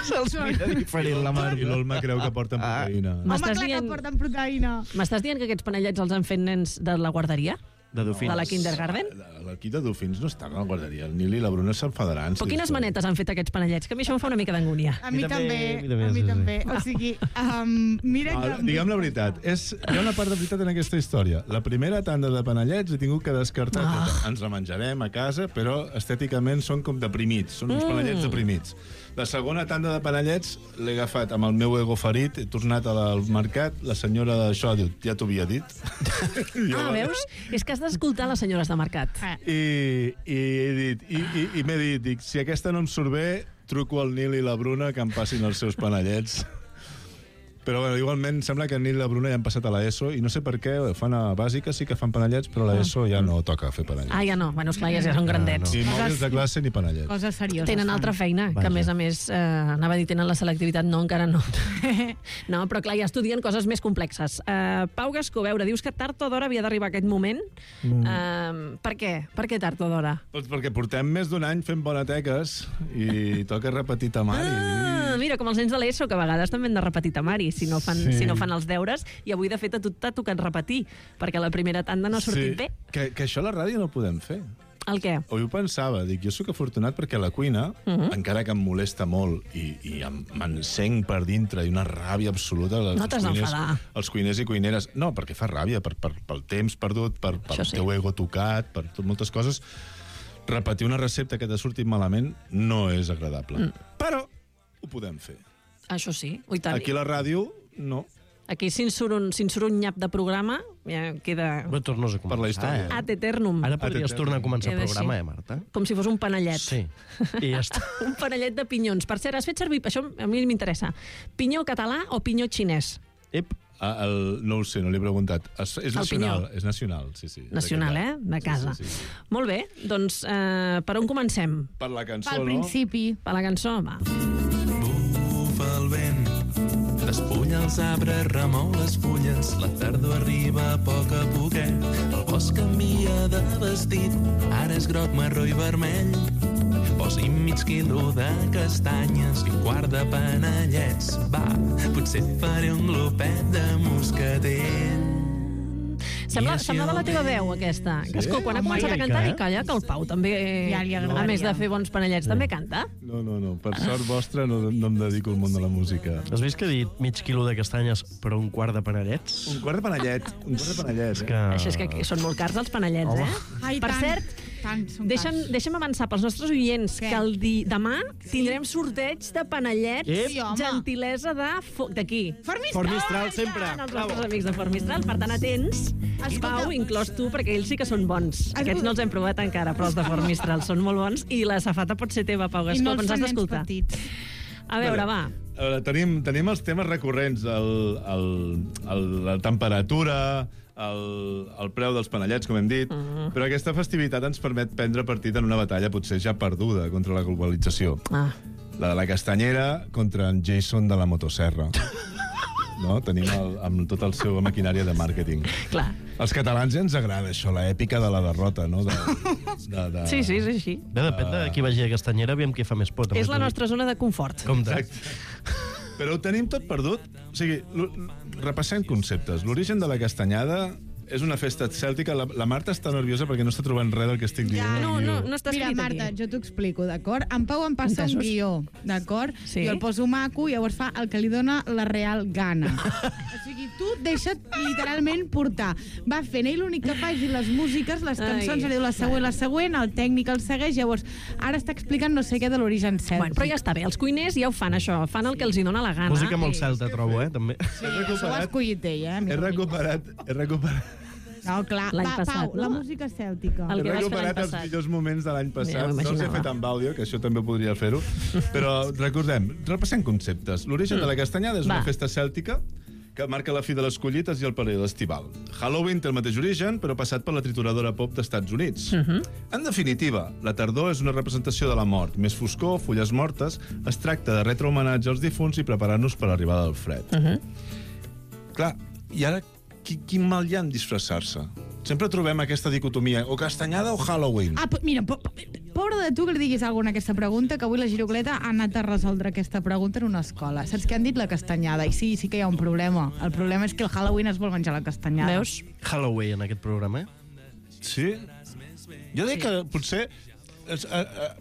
[SPEAKER 11] Se'ls mira diferent la mar.
[SPEAKER 10] I l'Olma creu que porten proteïna.
[SPEAKER 9] Home, clar que porten proteïna.
[SPEAKER 1] M'estàs dient que aquests panellets els han fet nens de la guarderia?
[SPEAKER 11] De dofins.
[SPEAKER 1] De la kindergarten?
[SPEAKER 10] L'equip de dofins no estan a la guarderia. El Nil i la Bruna s'enfadaran.
[SPEAKER 1] Però quines manetes han fet aquests panellets? Que a mi això em fa una mica d'angúnia.
[SPEAKER 9] A mi també. O sigui, mira que...
[SPEAKER 10] Digue'm la veritat, hi ha una part de veritat en aquesta història. La primera tanda de panellets he tingut que descartar tota. Ens la menjarem a casa, però estèticament són com deprimits, són uns panellets deprimits. La segona tanda de panellets l'he agafat amb el meu ego ferit, he tornat al mercat, la senyora d'això diu, ja t'ho havia dit.
[SPEAKER 1] Veus? És que has d'escoltar les senyores de mercat.
[SPEAKER 10] I m'he dit, dic, si aquesta no em surt bé, truco al Nil i la Bruna que em passin els seus panellets. Però bueno, igualment sembla que el Nil i la Bruna ja han passat a l'ESO i no sé per què, fan a bàsica, sí que fan panellets, però a l'ESO ja no toca fer panellets.
[SPEAKER 1] Ja no. Bueno, esclar, ja són grandets.
[SPEAKER 10] Ni mòbils de classe ni panellets.
[SPEAKER 9] Coses serioses.
[SPEAKER 1] Tenen altra feina, que a més, anava a dir, tenen la selectivitat, no, encara no. No, però clar, ja estudien coses més complexes. Pau Gascó, a veure, dius que tard o d'hora havia d'arribar aquest moment. Per què? Per què tard o d'hora?
[SPEAKER 10] Doncs perquè portem més d'un any fent boneteques i toca repetir temari.
[SPEAKER 1] Mira, com els nens de l'ESO, que a vegades també han de repetir temari si no fan els deures, i avui, de fet, a tu t'ha tocat repetir, perquè la primera tanda no ha sortit bé.
[SPEAKER 10] Que això a la ràdio no ho podem fer.
[SPEAKER 1] El què?
[SPEAKER 10] Avui ho pensava, dic, jo sóc afortunat perquè a la cuina, encara que em molesta molt i m'encenc per dintre i una ràbia absoluta...
[SPEAKER 1] No t'has d'enfadar.
[SPEAKER 10] Els cuiners i cuineres... No, perquè fa ràbia, pel temps perdut, pel teu ego tocat, per moltes coses. Repetir una recepta que t'ha sortit malament no és agradable. Però ho podem fer.
[SPEAKER 1] Això sí, oi tant.
[SPEAKER 10] Aquí a la ràdio, no.
[SPEAKER 1] Aquí, si en surt un nyap de programa, ja queda...
[SPEAKER 11] Però tornes a començar.
[SPEAKER 10] Per la història.
[SPEAKER 1] Ad eternum.
[SPEAKER 11] Ara podries tornar a començar el programa, Marta?
[SPEAKER 1] Com si fos un panellet.
[SPEAKER 11] Sí, i ja està.
[SPEAKER 1] Un panellet de pinyons. Per cert, has fet servir, això a mi m'interessa, pinyó català o pinyó xinès?
[SPEAKER 10] No ho sé, no l'he preguntat. És nacional, és nacional, sí.
[SPEAKER 1] Nacional, de casa.
[SPEAKER 10] Sí.
[SPEAKER 1] Molt bé, doncs per on comencem?
[SPEAKER 10] Per la cançó,
[SPEAKER 9] Pel principi.
[SPEAKER 1] Per la cançó, va.
[SPEAKER 12] Bufa el vent, despulla els arbres, remou les fulles, la tardor arriba a poc a poquet, el bosc canvia de vestit, ara és groc, marró i vermell. Posi'm mig quilo de castanyes i un quart de panellets. Va, potser faré un glopet de moscatell.
[SPEAKER 1] Semblava la teva veu, aquesta. Gascó, quan ha començat a cantar, i calla, que el Pau també, a més de fer bons panellets, també canta.
[SPEAKER 10] No. Per sort vostra no em dedico al món de la música.
[SPEAKER 11] Has vist que he dit mig quilo de castanyes però un quart de panellets?
[SPEAKER 10] Un quart de panellets.
[SPEAKER 1] Això és que són molt cars, els panellets, Per cert, deixa'm avançar pels nostres oients que demà tindrem sorteig de panellets, gentilesa d'aquí.
[SPEAKER 11] Formistral, sempre.
[SPEAKER 1] Els nostres amics de Formistral, per tant, atents. Pau, inclòs tu, perquè ells sí que són bons. Aquests no els hem provat encara, però els de Formistral són molt bons, i la safata pot ser teva, Pau Gascó, ens has d'escoltar. A veure, va.
[SPEAKER 10] Tenim els temes recurrents, la temperatura, el preu dels panellets, com hem dit, però aquesta festivitat ens permet prendre partit en una batalla potser ja perduda contra la globalització. La de la castanyera contra en Jason de la motosserra. No? Tenim amb tota la seva maquinària de màrqueting.
[SPEAKER 1] Clar.
[SPEAKER 10] Els catalans ja ens agrada això, l'èpica de la derrota, no?
[SPEAKER 1] Sí, és així.
[SPEAKER 11] Depèn de qui vagi a castanyera, aviam qui fa més por.
[SPEAKER 1] És la nostra zona de confort.
[SPEAKER 10] Exacte. Però ho tenim tot perdut. O sigui, repassem conceptes. L'origen de la castanyada És una festa cèltica. La Marta està nerviosa perquè no està trobant res del que estic dient.
[SPEAKER 1] No està escrit
[SPEAKER 9] Mira, Marta,
[SPEAKER 1] aquí.
[SPEAKER 9] jo t'ho explico, d'acord? En Pau em passa un guió, d'acord?
[SPEAKER 1] Sí.
[SPEAKER 9] Jo el poso maco i llavors fa el que li dona la real gana. O sigui, tu deixa't literalment portar. Va fent ell l'únic que fa és les músiques, les cançons, diu la següent, el tècnic el segueix, llavors ara està explicant no sé què de l'origen cèltic.
[SPEAKER 1] Bueno, però ja està bé, els cuiners ja ho fan, això, fan el que els hi dona la gana.
[SPEAKER 11] Música molt celta, trobo, també.
[SPEAKER 9] Sí, això ho ha escollit ell,
[SPEAKER 10] He recuperat...
[SPEAKER 9] No, clar, Pau, la música cèltica.
[SPEAKER 10] He recuperat els millors moments de l'any passat. No els he fet amb àudio, que això també podria fer-ho. Però recordem, repassem conceptes. L'origen de la castanyada és una festa cèltica que marca la fi de les collites i el període estival. Halloween té el mateix origen, però passat per la trituradora pop d'Estats Units. En definitiva, la tardor és una representació de la mort. Més foscor, fulles mortes, es tracta de retre homenatge als difunts i preparar-nos per l'arribada del fred. Clar, i ara quin mal hi ha en disfressar-se? Sempre trobem aquesta dicotomia, o castanyada o Halloween.
[SPEAKER 9] Mira, pobre de tu que li diguis alguna a aquesta pregunta, que avui la Girocleta ha anat a resoldre aquesta pregunta en una escola. Saps què han dit la castanyada? I sí que hi ha un problema. El problema és que el Halloween es vol menjar la castanyada.
[SPEAKER 1] Veus?
[SPEAKER 11] Halloween, en aquest programa,
[SPEAKER 10] Sí? Jo dic que potser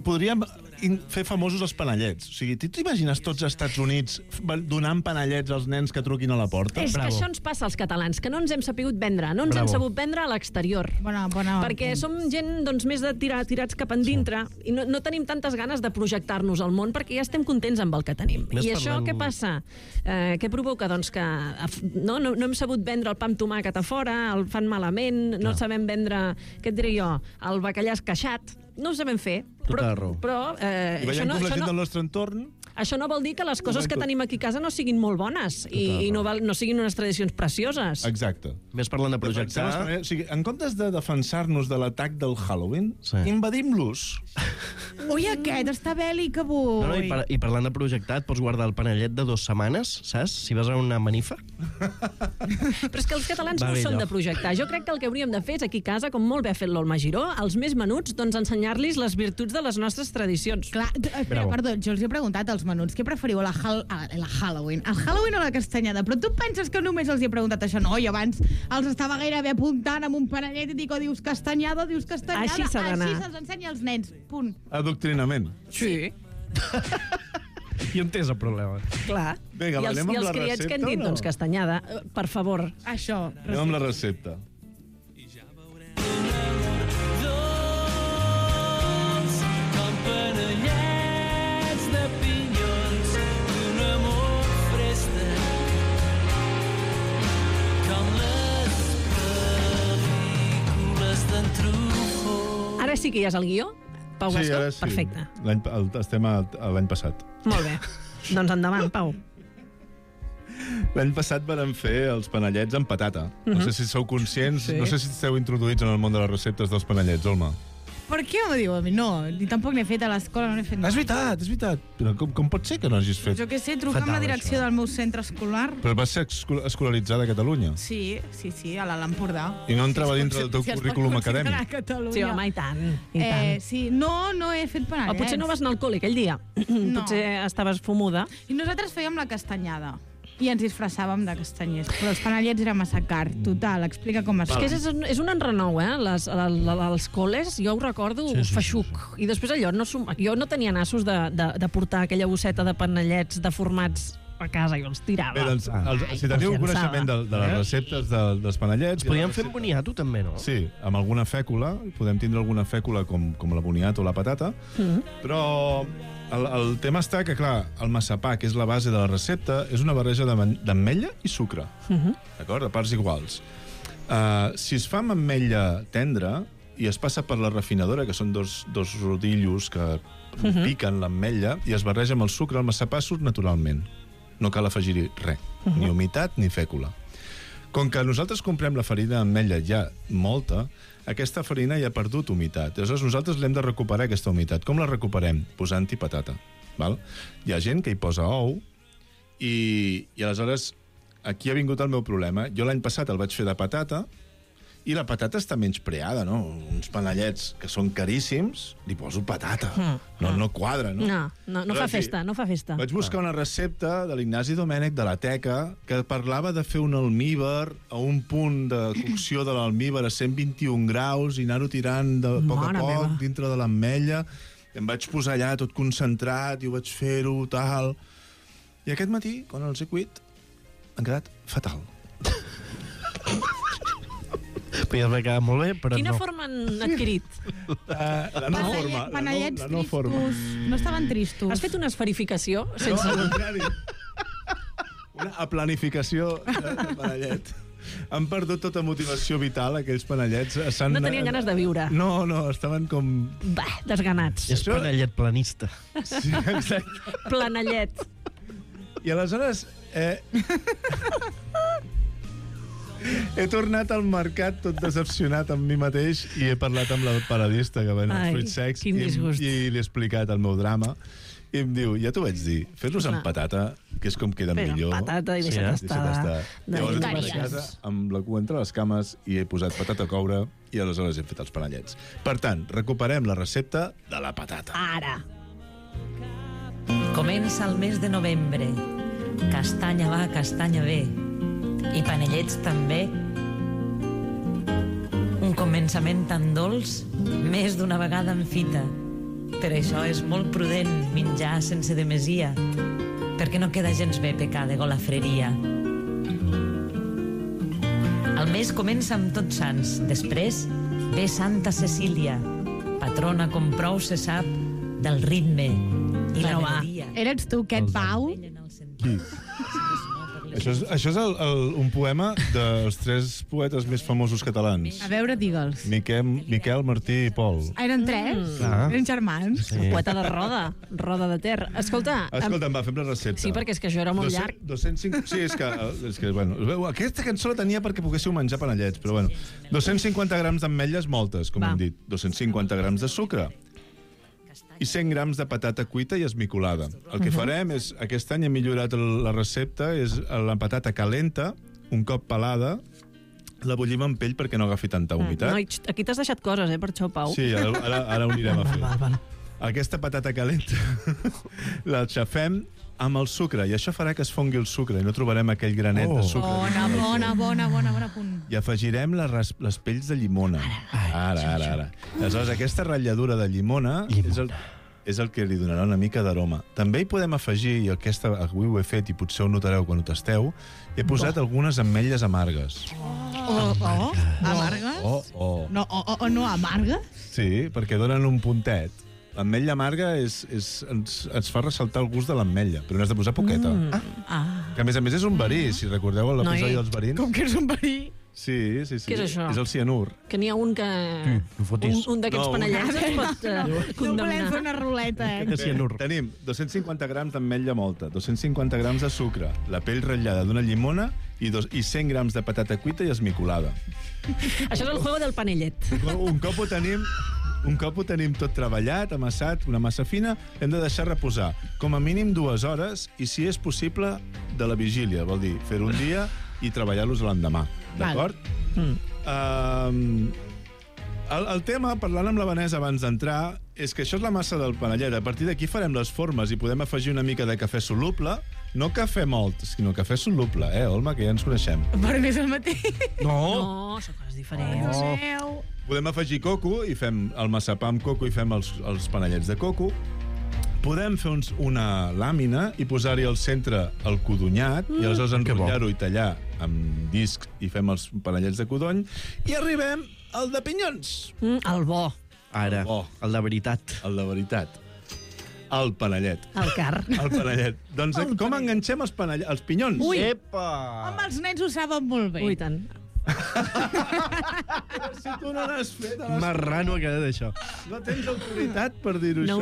[SPEAKER 10] podríem fer famosos els panellets. O sigui, t'imagines tots els Estats Units donant panellets als nens que truquin a la porta?
[SPEAKER 1] És que això ens passa als catalans, que no ens hem sapigut vendre, no ens hem sabut vendre a l'exterior. Perquè som gent més de tirats cap endintre i no tenim tantes ganes de projectar-nos al món perquè ja estem contents amb el que tenim. I això què passa? Què provoca? Doncs que no hem sabut vendre el pa amb tomàquet a fora, el fan malament, no sabem vendre, què et diré jo, el bacallà esqueixat. No ho sabem fer. Però
[SPEAKER 10] I veiem com la gent del nostre entorn...
[SPEAKER 1] Això no vol dir que les coses que tenim aquí a casa no siguin molt bones i no siguin unes tradicions precioses.
[SPEAKER 10] Exacte.
[SPEAKER 11] Més parlant de projectar...
[SPEAKER 10] O sigui, en comptes de defensar-nos de l'atac del Halloween, invadim-los.
[SPEAKER 9] Ui, aquest està bèl·lic avui.
[SPEAKER 11] I parlant de projectar, et pots guardar el panellet de 2 setmanes, saps? Si vas a una manifa.
[SPEAKER 1] Però és que els catalans no són de projectar. Jo crec que el que hauríem de fer és aquí a casa, com molt bé ha fet l'Olma Giró, als més menuts, doncs ensenyar-los les virtuts de les nostres tradicions.
[SPEAKER 9] Clar, perdó, jo els he preguntat als menuts, què preferiu, la Halloween? El Halloween o la castanyada? Però tu penses que només els he preguntat això? No, i abans els estava gairebé apuntant amb un panellet i dic, dius castanyada,
[SPEAKER 1] Així s'ha d'anar.
[SPEAKER 9] Així se'ls ensenya als nens, punt.
[SPEAKER 10] Adoctrinament.
[SPEAKER 1] Sí.
[SPEAKER 11] I on és el problema?
[SPEAKER 1] Clar.
[SPEAKER 10] Vinga, anem amb la recepta.
[SPEAKER 1] I els criats que han dit, doncs, castanyada, per favor.
[SPEAKER 9] Això.
[SPEAKER 10] Anem amb la recepta.
[SPEAKER 1] Ara sí que ja és el guió? Pau Gascó?
[SPEAKER 10] Sí, ara sí.
[SPEAKER 1] Perfecte.
[SPEAKER 10] Estem a l'any passat.
[SPEAKER 1] Molt bé. Doncs endavant, Pau.
[SPEAKER 10] L'any passat vam fer els panellets amb patata. No sé si sou conscients, no sé si esteu introduïts en el món de les receptes dels panellets, Olma.
[SPEAKER 9] Per què m'ho diu a mi? No, ni tampoc n'he fet a l'escola, no n'he fet.
[SPEAKER 10] És veritat. Però com pot ser que no hagis fet?
[SPEAKER 9] Jo què sé, trucar amb la direcció del meu centre escolar.
[SPEAKER 10] Però vas ser escolaritzada a Catalunya?
[SPEAKER 9] Sí, a l'Empordà.
[SPEAKER 10] I no entrava dintre del teu currículum acadèmic?
[SPEAKER 1] Sí, home, i tant.
[SPEAKER 9] Sí, no he fet panellets.
[SPEAKER 1] Potser no vas anar al col·le aquell dia. Potser estaves fumuda.
[SPEAKER 9] I nosaltres fèiem la castanyada. I ens disfressàvem de castanyers. Però els panellets era massa car. Total, explica com es fa.
[SPEAKER 1] És un enrenou, els col·les, jo ho recordo, feixuc. I després allò, jo no tenia nassos de portar aquella bosseta de panellets deformats a casa, jo els tirava.
[SPEAKER 10] Bé, doncs, si teniu coneixement de les receptes dels panellets...
[SPEAKER 11] Es podien fer amb boniato, també, no?
[SPEAKER 10] Sí, amb alguna fècula. Podem tindre alguna fècula com la boniato o la patata. Però el tema està que, clar, el massapà, que és la base de la recepta, és una barreja d'ametlla i sucre. D'acord? A parts iguals. Si es fa amb ametlla tendra i es passa per la refinadora, que són dos rodillos que piquen l'ametlla, i es barreja amb el sucre, el massapà surt naturalment. No cal afegir-hi res, ni humitat ni fècula. Com que nosaltres comprem la farina d'ametlla ja molta, aquesta farina ja ha perdut humitat. Aleshores, nosaltres l'hem de recuperar, aquesta humitat. Com la recuperem? Posant-hi patata. Val? Hi ha gent que hi posa ou i aleshores aquí ha vingut el meu problema. Jo l'any passat el vaig fer de patata I la patata està menys preada, no? Uns panellets que són caríssims, li poso patata. No quadra, no?
[SPEAKER 1] No fa festa, no fa festa.
[SPEAKER 10] Vaig buscar una recepta de l'Ignasi Domènech de la Teca que parlava de fer un almíbar a un punt de cocció de l'almíbar a 121 graus i anar-ho tirant de poc a poc dintre de l'ametlla. Em vaig posar allà tot concentrat i ho vaig fer-ho, tal. I aquest matí, quan els he cuit, han quedat fatal.
[SPEAKER 11] Podria haver quedat molt bé, però
[SPEAKER 1] Quina forma han adquirit?
[SPEAKER 10] La no forma.
[SPEAKER 9] Panellets tristos. No estaven tristos.
[SPEAKER 1] Has fet una esferificació?
[SPEAKER 10] No, al contrari. Una aplanificació de panellet. Han perdut tota motivació vital, aquells panellets.
[SPEAKER 1] No tenien ganes de viure.
[SPEAKER 10] No, estaven com...
[SPEAKER 1] Desganats.
[SPEAKER 11] És panellet planista.
[SPEAKER 10] Sí, exacte.
[SPEAKER 1] Planellet.
[SPEAKER 10] I aleshores... He tornat al mercat tot decepcionat amb mi mateix i he parlat amb la paradista que ven els fruits secs i li he explicat el meu drama i em diu, ja t'ho vaig dir, fes-los amb patata, que és com queden millor.
[SPEAKER 1] Però patata i deixa't estar.
[SPEAKER 10] Llavors he tornat a casa amb la cua entre les cames i he posat patata a coure i aleshores he fet els panellets. Per tant, recuperem la recepta de la patata.
[SPEAKER 1] Ara.
[SPEAKER 13] Comença el mes de novembre. Castanya va, castanya ve. I panellets també. Un començament tan dolç, més d'una vegada en fita. Per això és molt prudent menjar sense demesia, perquè no queda gens bé pecar de golafreria. El mes comença amb Tots Sants. Després ve Santa Cecília, patrona com prou se sap del ritme i la melodia.
[SPEAKER 9] Eres tu, aquest Pau?
[SPEAKER 10] Qui? Això és un poema dels 3 poetes més famosos catalans.
[SPEAKER 9] A veure, digue'ls.
[SPEAKER 10] Miquel, Martí i Pol.
[SPEAKER 9] Eren 3? Eren germans?
[SPEAKER 1] Sí. Poeta de Roda de Ter. Escolta,
[SPEAKER 10] va, fem la recepta.
[SPEAKER 1] Sí, perquè és que això era molt llarg.
[SPEAKER 10] 205... Sí, és que bueno, aquesta cançó la tenia perquè poguéssiu menjar panellets, però bueno. 250 grams d'ametlles moltes, com hem dit. 250 grams de sucre. I 100 grams de patata cuita i esmicolada. El que farem és, aquest any hem millorat la recepta, és la patata calenta, un cop pelada, la bullim amb pell perquè no agafi tanta humitat.
[SPEAKER 1] Aquí t'has deixat coses, per això, Pau.
[SPEAKER 10] Sí, ara ho anirem a fer. Aquesta patata calenta la xafem amb el sucre, i això farà que es fongui el sucre i no trobarem aquell granet de sucre.
[SPEAKER 9] Bona punt.
[SPEAKER 10] I afegirem les pells de llimona. Ara. Aleshores, aquesta ratlladura de llimona és el que li donarà una mica d'aroma. També hi podem afegir, i avui ho he fet i potser ho notareu quan ho tasteu, he posat algunes ametlles amargues.
[SPEAKER 9] Amargues? No amargues?
[SPEAKER 10] Sí, perquè donen un puntet. L'ametlla amarga ens fa ressaltar el gust de l'ametlla, però n'has de posar poqueta. Que a més és un verí, si recordeu l'episodi dels verins.
[SPEAKER 9] Com que és un verí?
[SPEAKER 10] Sí.
[SPEAKER 1] Què és això?
[SPEAKER 10] És el cianur.
[SPEAKER 1] Que n'hi ha un que... Un d'aquests panellets es pot condemnar.
[SPEAKER 9] No volem fer una ruleta,
[SPEAKER 10] Tenim 250 grams d'ametlla molta, 250 grams de sucre, la pell ratllada d'una llimona i 100 grams de patata cuita i esmicolada.
[SPEAKER 1] Això és el juego del panellet.
[SPEAKER 10] Un cop ho tenim tot treballat, amassat, una massa fina, hem de deixar reposar com a mínim 2 hores i, si és possible, de la vigília. Vol dir, fer un dia i treballar-los l'endemà. D'acord? El tema, parlant amb la Vanessa abans d'entrar, és que això és la massa del panellet. A partir d'aquí farem les formes i podem afegir una mica de cafè soluble. No cafè molt, sinó cafè soluble, Olma, que ja ens coneixem.
[SPEAKER 9] Però no és el mateix.
[SPEAKER 1] No, són coses diferents.
[SPEAKER 10] Podem afegir coco i fem el massapà amb coco i fem els panellets de coco. Podem fer una làmina i posar-hi al centre el codonyat i aleshores enrotllar-ho i tallar amb discs i fem els panellets de codony i arribem al de pinyons.
[SPEAKER 1] El bo.
[SPEAKER 11] Ara, el de veritat.
[SPEAKER 10] El de veritat. El panellet.
[SPEAKER 1] El car.
[SPEAKER 10] El panellet. Doncs com enganxem els pinyons?
[SPEAKER 9] Ui!
[SPEAKER 11] Epa!
[SPEAKER 9] Home, els nens ho saben molt bé.
[SPEAKER 1] Ui, tant.
[SPEAKER 10] Si tu no l'has fet...
[SPEAKER 11] Marrano ha quedat això.
[SPEAKER 10] No tens autoritat per dir-ho,
[SPEAKER 1] això.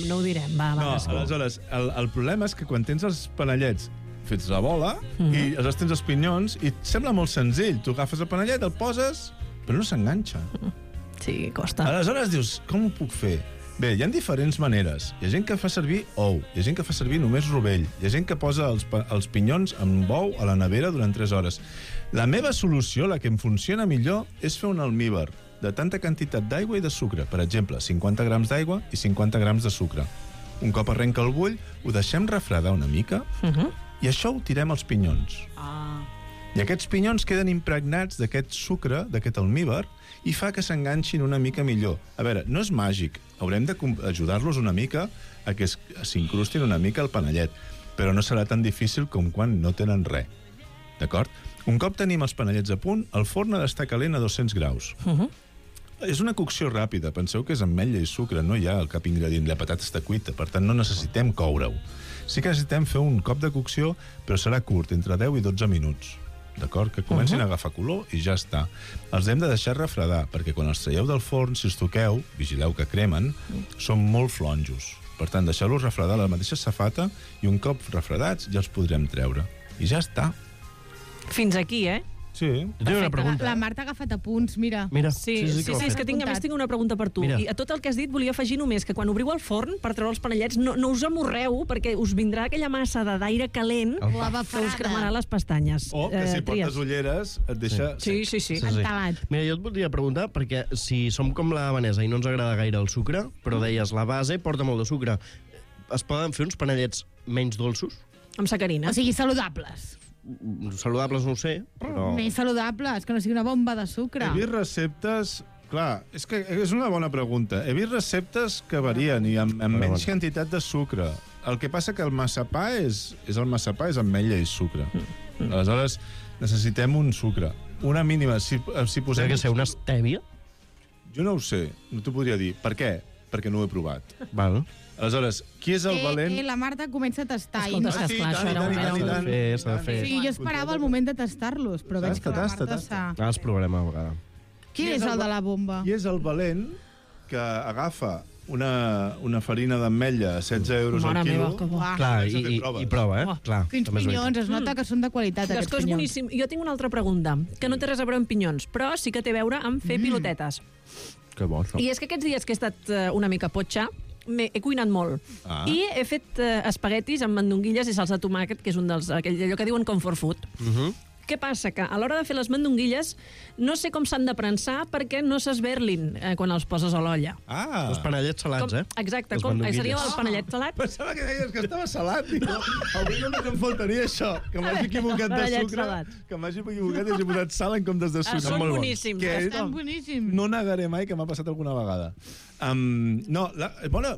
[SPEAKER 1] No ho direm. Va,
[SPEAKER 10] aleshores, el problema és que quan tens els panellets fets la bola i aleshores tens els pinyons i et sembla molt senzill. Tu agafes el panellet, el poses, però no s'enganxa.
[SPEAKER 1] Sí, costa.
[SPEAKER 10] Aleshores dius, com ho puc fer? Bé, hi ha diferents maneres. Hi ha gent que fa servir ou, hi ha gent que fa servir només rovell, hi ha gent que posa els pinyons amb ou a la nevera durant 3 hores. La meva solució, la que em funciona millor, és fer un almíbar de tanta quantitat d'aigua i de sucre. Per exemple, 50 grams d'aigua i 50 grams de sucre. Un cop arrenca el bull, ho deixem refredar una mica i això ho tirem als pinyons. I aquests pinyons queden impregnats d'aquest sucre, d'aquest almíbar, i fa que s'enganxin una mica millor. A veure, no és màgic. Haurem d'ajudar-los una mica a que s'incrustin una mica el panellet, però no serà tan difícil com quan no tenen res. D'acord? Un cop tenim els panellets a punt, el forn ha d'estar calent a 200 graus. És una cocció ràpida. Penseu que és ametlla i sucre, no hi ha cap ingredient. La patata està cuita, per tant no necessitem coure-ho. Sí que necessitem fer un cop de cocció, però serà curt, entre 10 i 12 minuts. D'acord? Que comencin a agafar color i ja està. Els hem de deixar refredar, perquè quan els traieu del forn, si els toqueu, vigileu que cremen, són molt flonjos. Per tant, deixeu-los refredar a la mateixa safata i un cop refredats ja els podrem treure. I ja està.
[SPEAKER 1] Fins aquí,
[SPEAKER 10] Sí.
[SPEAKER 11] Jo tinc una pregunta.
[SPEAKER 9] La Marta ha agafat apunts, mira.
[SPEAKER 1] Sí, és que tinc una pregunta per tu.
[SPEAKER 11] Mira.
[SPEAKER 1] I a tot el que has dit volia afegir només que quan obriu el forn per treure els panellets no us amorreu perquè us vindrà aquella massa d'aire calent que us cremarà les pestanyes.
[SPEAKER 10] O que si portes ulleres et deixa...
[SPEAKER 1] Sí.
[SPEAKER 9] Entelat.
[SPEAKER 11] Mira, jo et voldria preguntar, perquè si som com la Vanessa i no ens agrada gaire el sucre, però deies la base porta molt de sucre, es poden fer uns panellets menys dolços?
[SPEAKER 1] Amb sacarina.
[SPEAKER 9] O sigui, saludables.
[SPEAKER 11] Saludables no ho sé, però...
[SPEAKER 9] Més saludables, que no sigui una bomba de sucre.
[SPEAKER 10] He vist receptes... Clar, és que és una bona pregunta. He vist receptes que varien i amb menys quantitat de sucre. El que passa que el massapà és el massapà, és ametlla i sucre. Aleshores, necessitem un sucre. Una mínima. Si posem...
[SPEAKER 11] Té que ser una stèvia?
[SPEAKER 10] Jo no ho sé, no t'ho podria dir. Per què? Perquè no ho he provat.
[SPEAKER 11] Val.
[SPEAKER 10] Aleshores, qui és el valent?
[SPEAKER 9] La Marta comença a tastar.
[SPEAKER 1] Escolta, és que esclar, això
[SPEAKER 11] S'ha de fer.
[SPEAKER 9] Sí, jo esperava el moment de tastar-los, però veig que la Marta s'ha...
[SPEAKER 11] Els provarem a vegada.
[SPEAKER 9] Quin és el de la bomba?
[SPEAKER 10] Qui és el valent que agafa una farina d'ametlla a 16 euros al quilo?
[SPEAKER 11] Clar, i prova, Clar,
[SPEAKER 9] quins pinyons, es nota que són de qualitat, aquests pinyons.
[SPEAKER 1] Boníssim. Jo tinc una altra pregunta, que no té res a veure amb pinyons, però sí que té a veure amb fer pilotetes.
[SPEAKER 11] Que bo, això.
[SPEAKER 1] I és que aquests dies que he estat una mica potxa, he cuinat molt. I he fet espaguetis amb mandonguilles i salsa de tomàquet, que és un dels... allò que diuen comfort food. Què passa? Que a l'hora de fer les mandonguilles no sé com s'han de prensar perquè no s'esberlin quan els poses a l'olla.
[SPEAKER 11] Els panellets salats,
[SPEAKER 1] Exacte, seria el panellet salat.
[SPEAKER 10] Pensava que deies que estava salat. Avui només em faltaria això, que m'hagi equivocat de sucre, que m'hagi equivocat i hagi posat sal en comptes de sucre.
[SPEAKER 1] Són boníssims.
[SPEAKER 9] Estan boníssims.
[SPEAKER 10] No negaré mai que m'ha passat alguna vegada. No,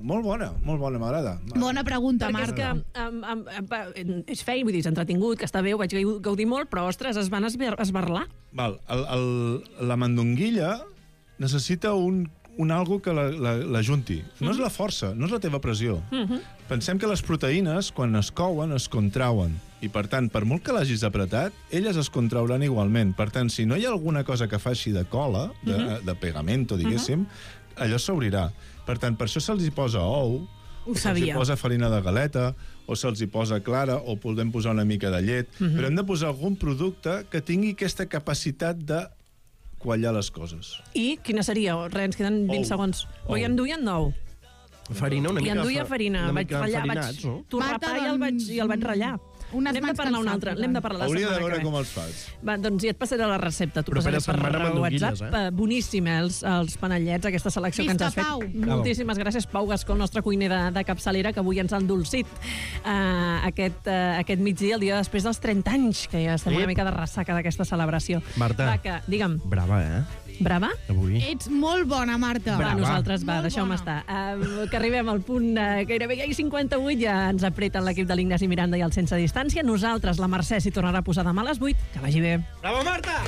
[SPEAKER 10] molt bona, m'agrada.
[SPEAKER 9] Bona pregunta,
[SPEAKER 1] Marta. Perquè és que és feina, vull dir, és entretingut, que està bé, ho vaig gaudir molt, però, ostres, es van esberlar.
[SPEAKER 10] Val, la mandonguilla necessita un algo que la junti. No és la força, no és la teva pressió. Pensem que les proteïnes, quan es couen, es contrauen. I, per tant, per molt que l'hagis apretat, elles es contrauran igualment. Per tant, si no hi ha alguna cosa que faci de cola, de pegamento, diguéssim, allò s'obrirà. Per tant, per això se'ls hi posa ou, se'ls hi posa farina de galeta, o se'ls hi posa clara, o podem posar una mica de llet, però hem de posar algun producte que tingui aquesta capacitat de quallar les coses.
[SPEAKER 1] I quina seria? Res, ens queden 20 segons. Però hi enduien ou.
[SPEAKER 11] Farina, una mica...
[SPEAKER 1] I enduia farina. Vaig torrapar i el vaig ratllar. N'hem de parlar una altra. L'hem de parlar la setmana que ve.
[SPEAKER 10] Hauria de veure com els fas.
[SPEAKER 1] Va, doncs ja et passaré la recepta. T'ho passaré per WhatsApp. Boníssim, els panellets, aquesta selecció que ens has fet. Moltíssimes gràcies, Pau Gascó, el nostre cuiner de capçalera, que avui ens ha endolcit aquest migdia, el dia després dels 30 anys, que ja estem una mica de ressaca d'aquesta celebració.
[SPEAKER 11] Marta,
[SPEAKER 1] digue'm.
[SPEAKER 11] Brava,
[SPEAKER 1] Brava?
[SPEAKER 11] Avui.
[SPEAKER 9] Ets molt bona, Marta.
[SPEAKER 1] Nosaltres, deixeu-me estar. Que arribem al punt gairebé 58, ja ens apreten l'equip de l'Ignasi Miranda i el Sense Distància. Nosaltres, la Mercè s'hi tornarà a posar demà a les 8. Que vagi bé.
[SPEAKER 11] Bravo, Marta!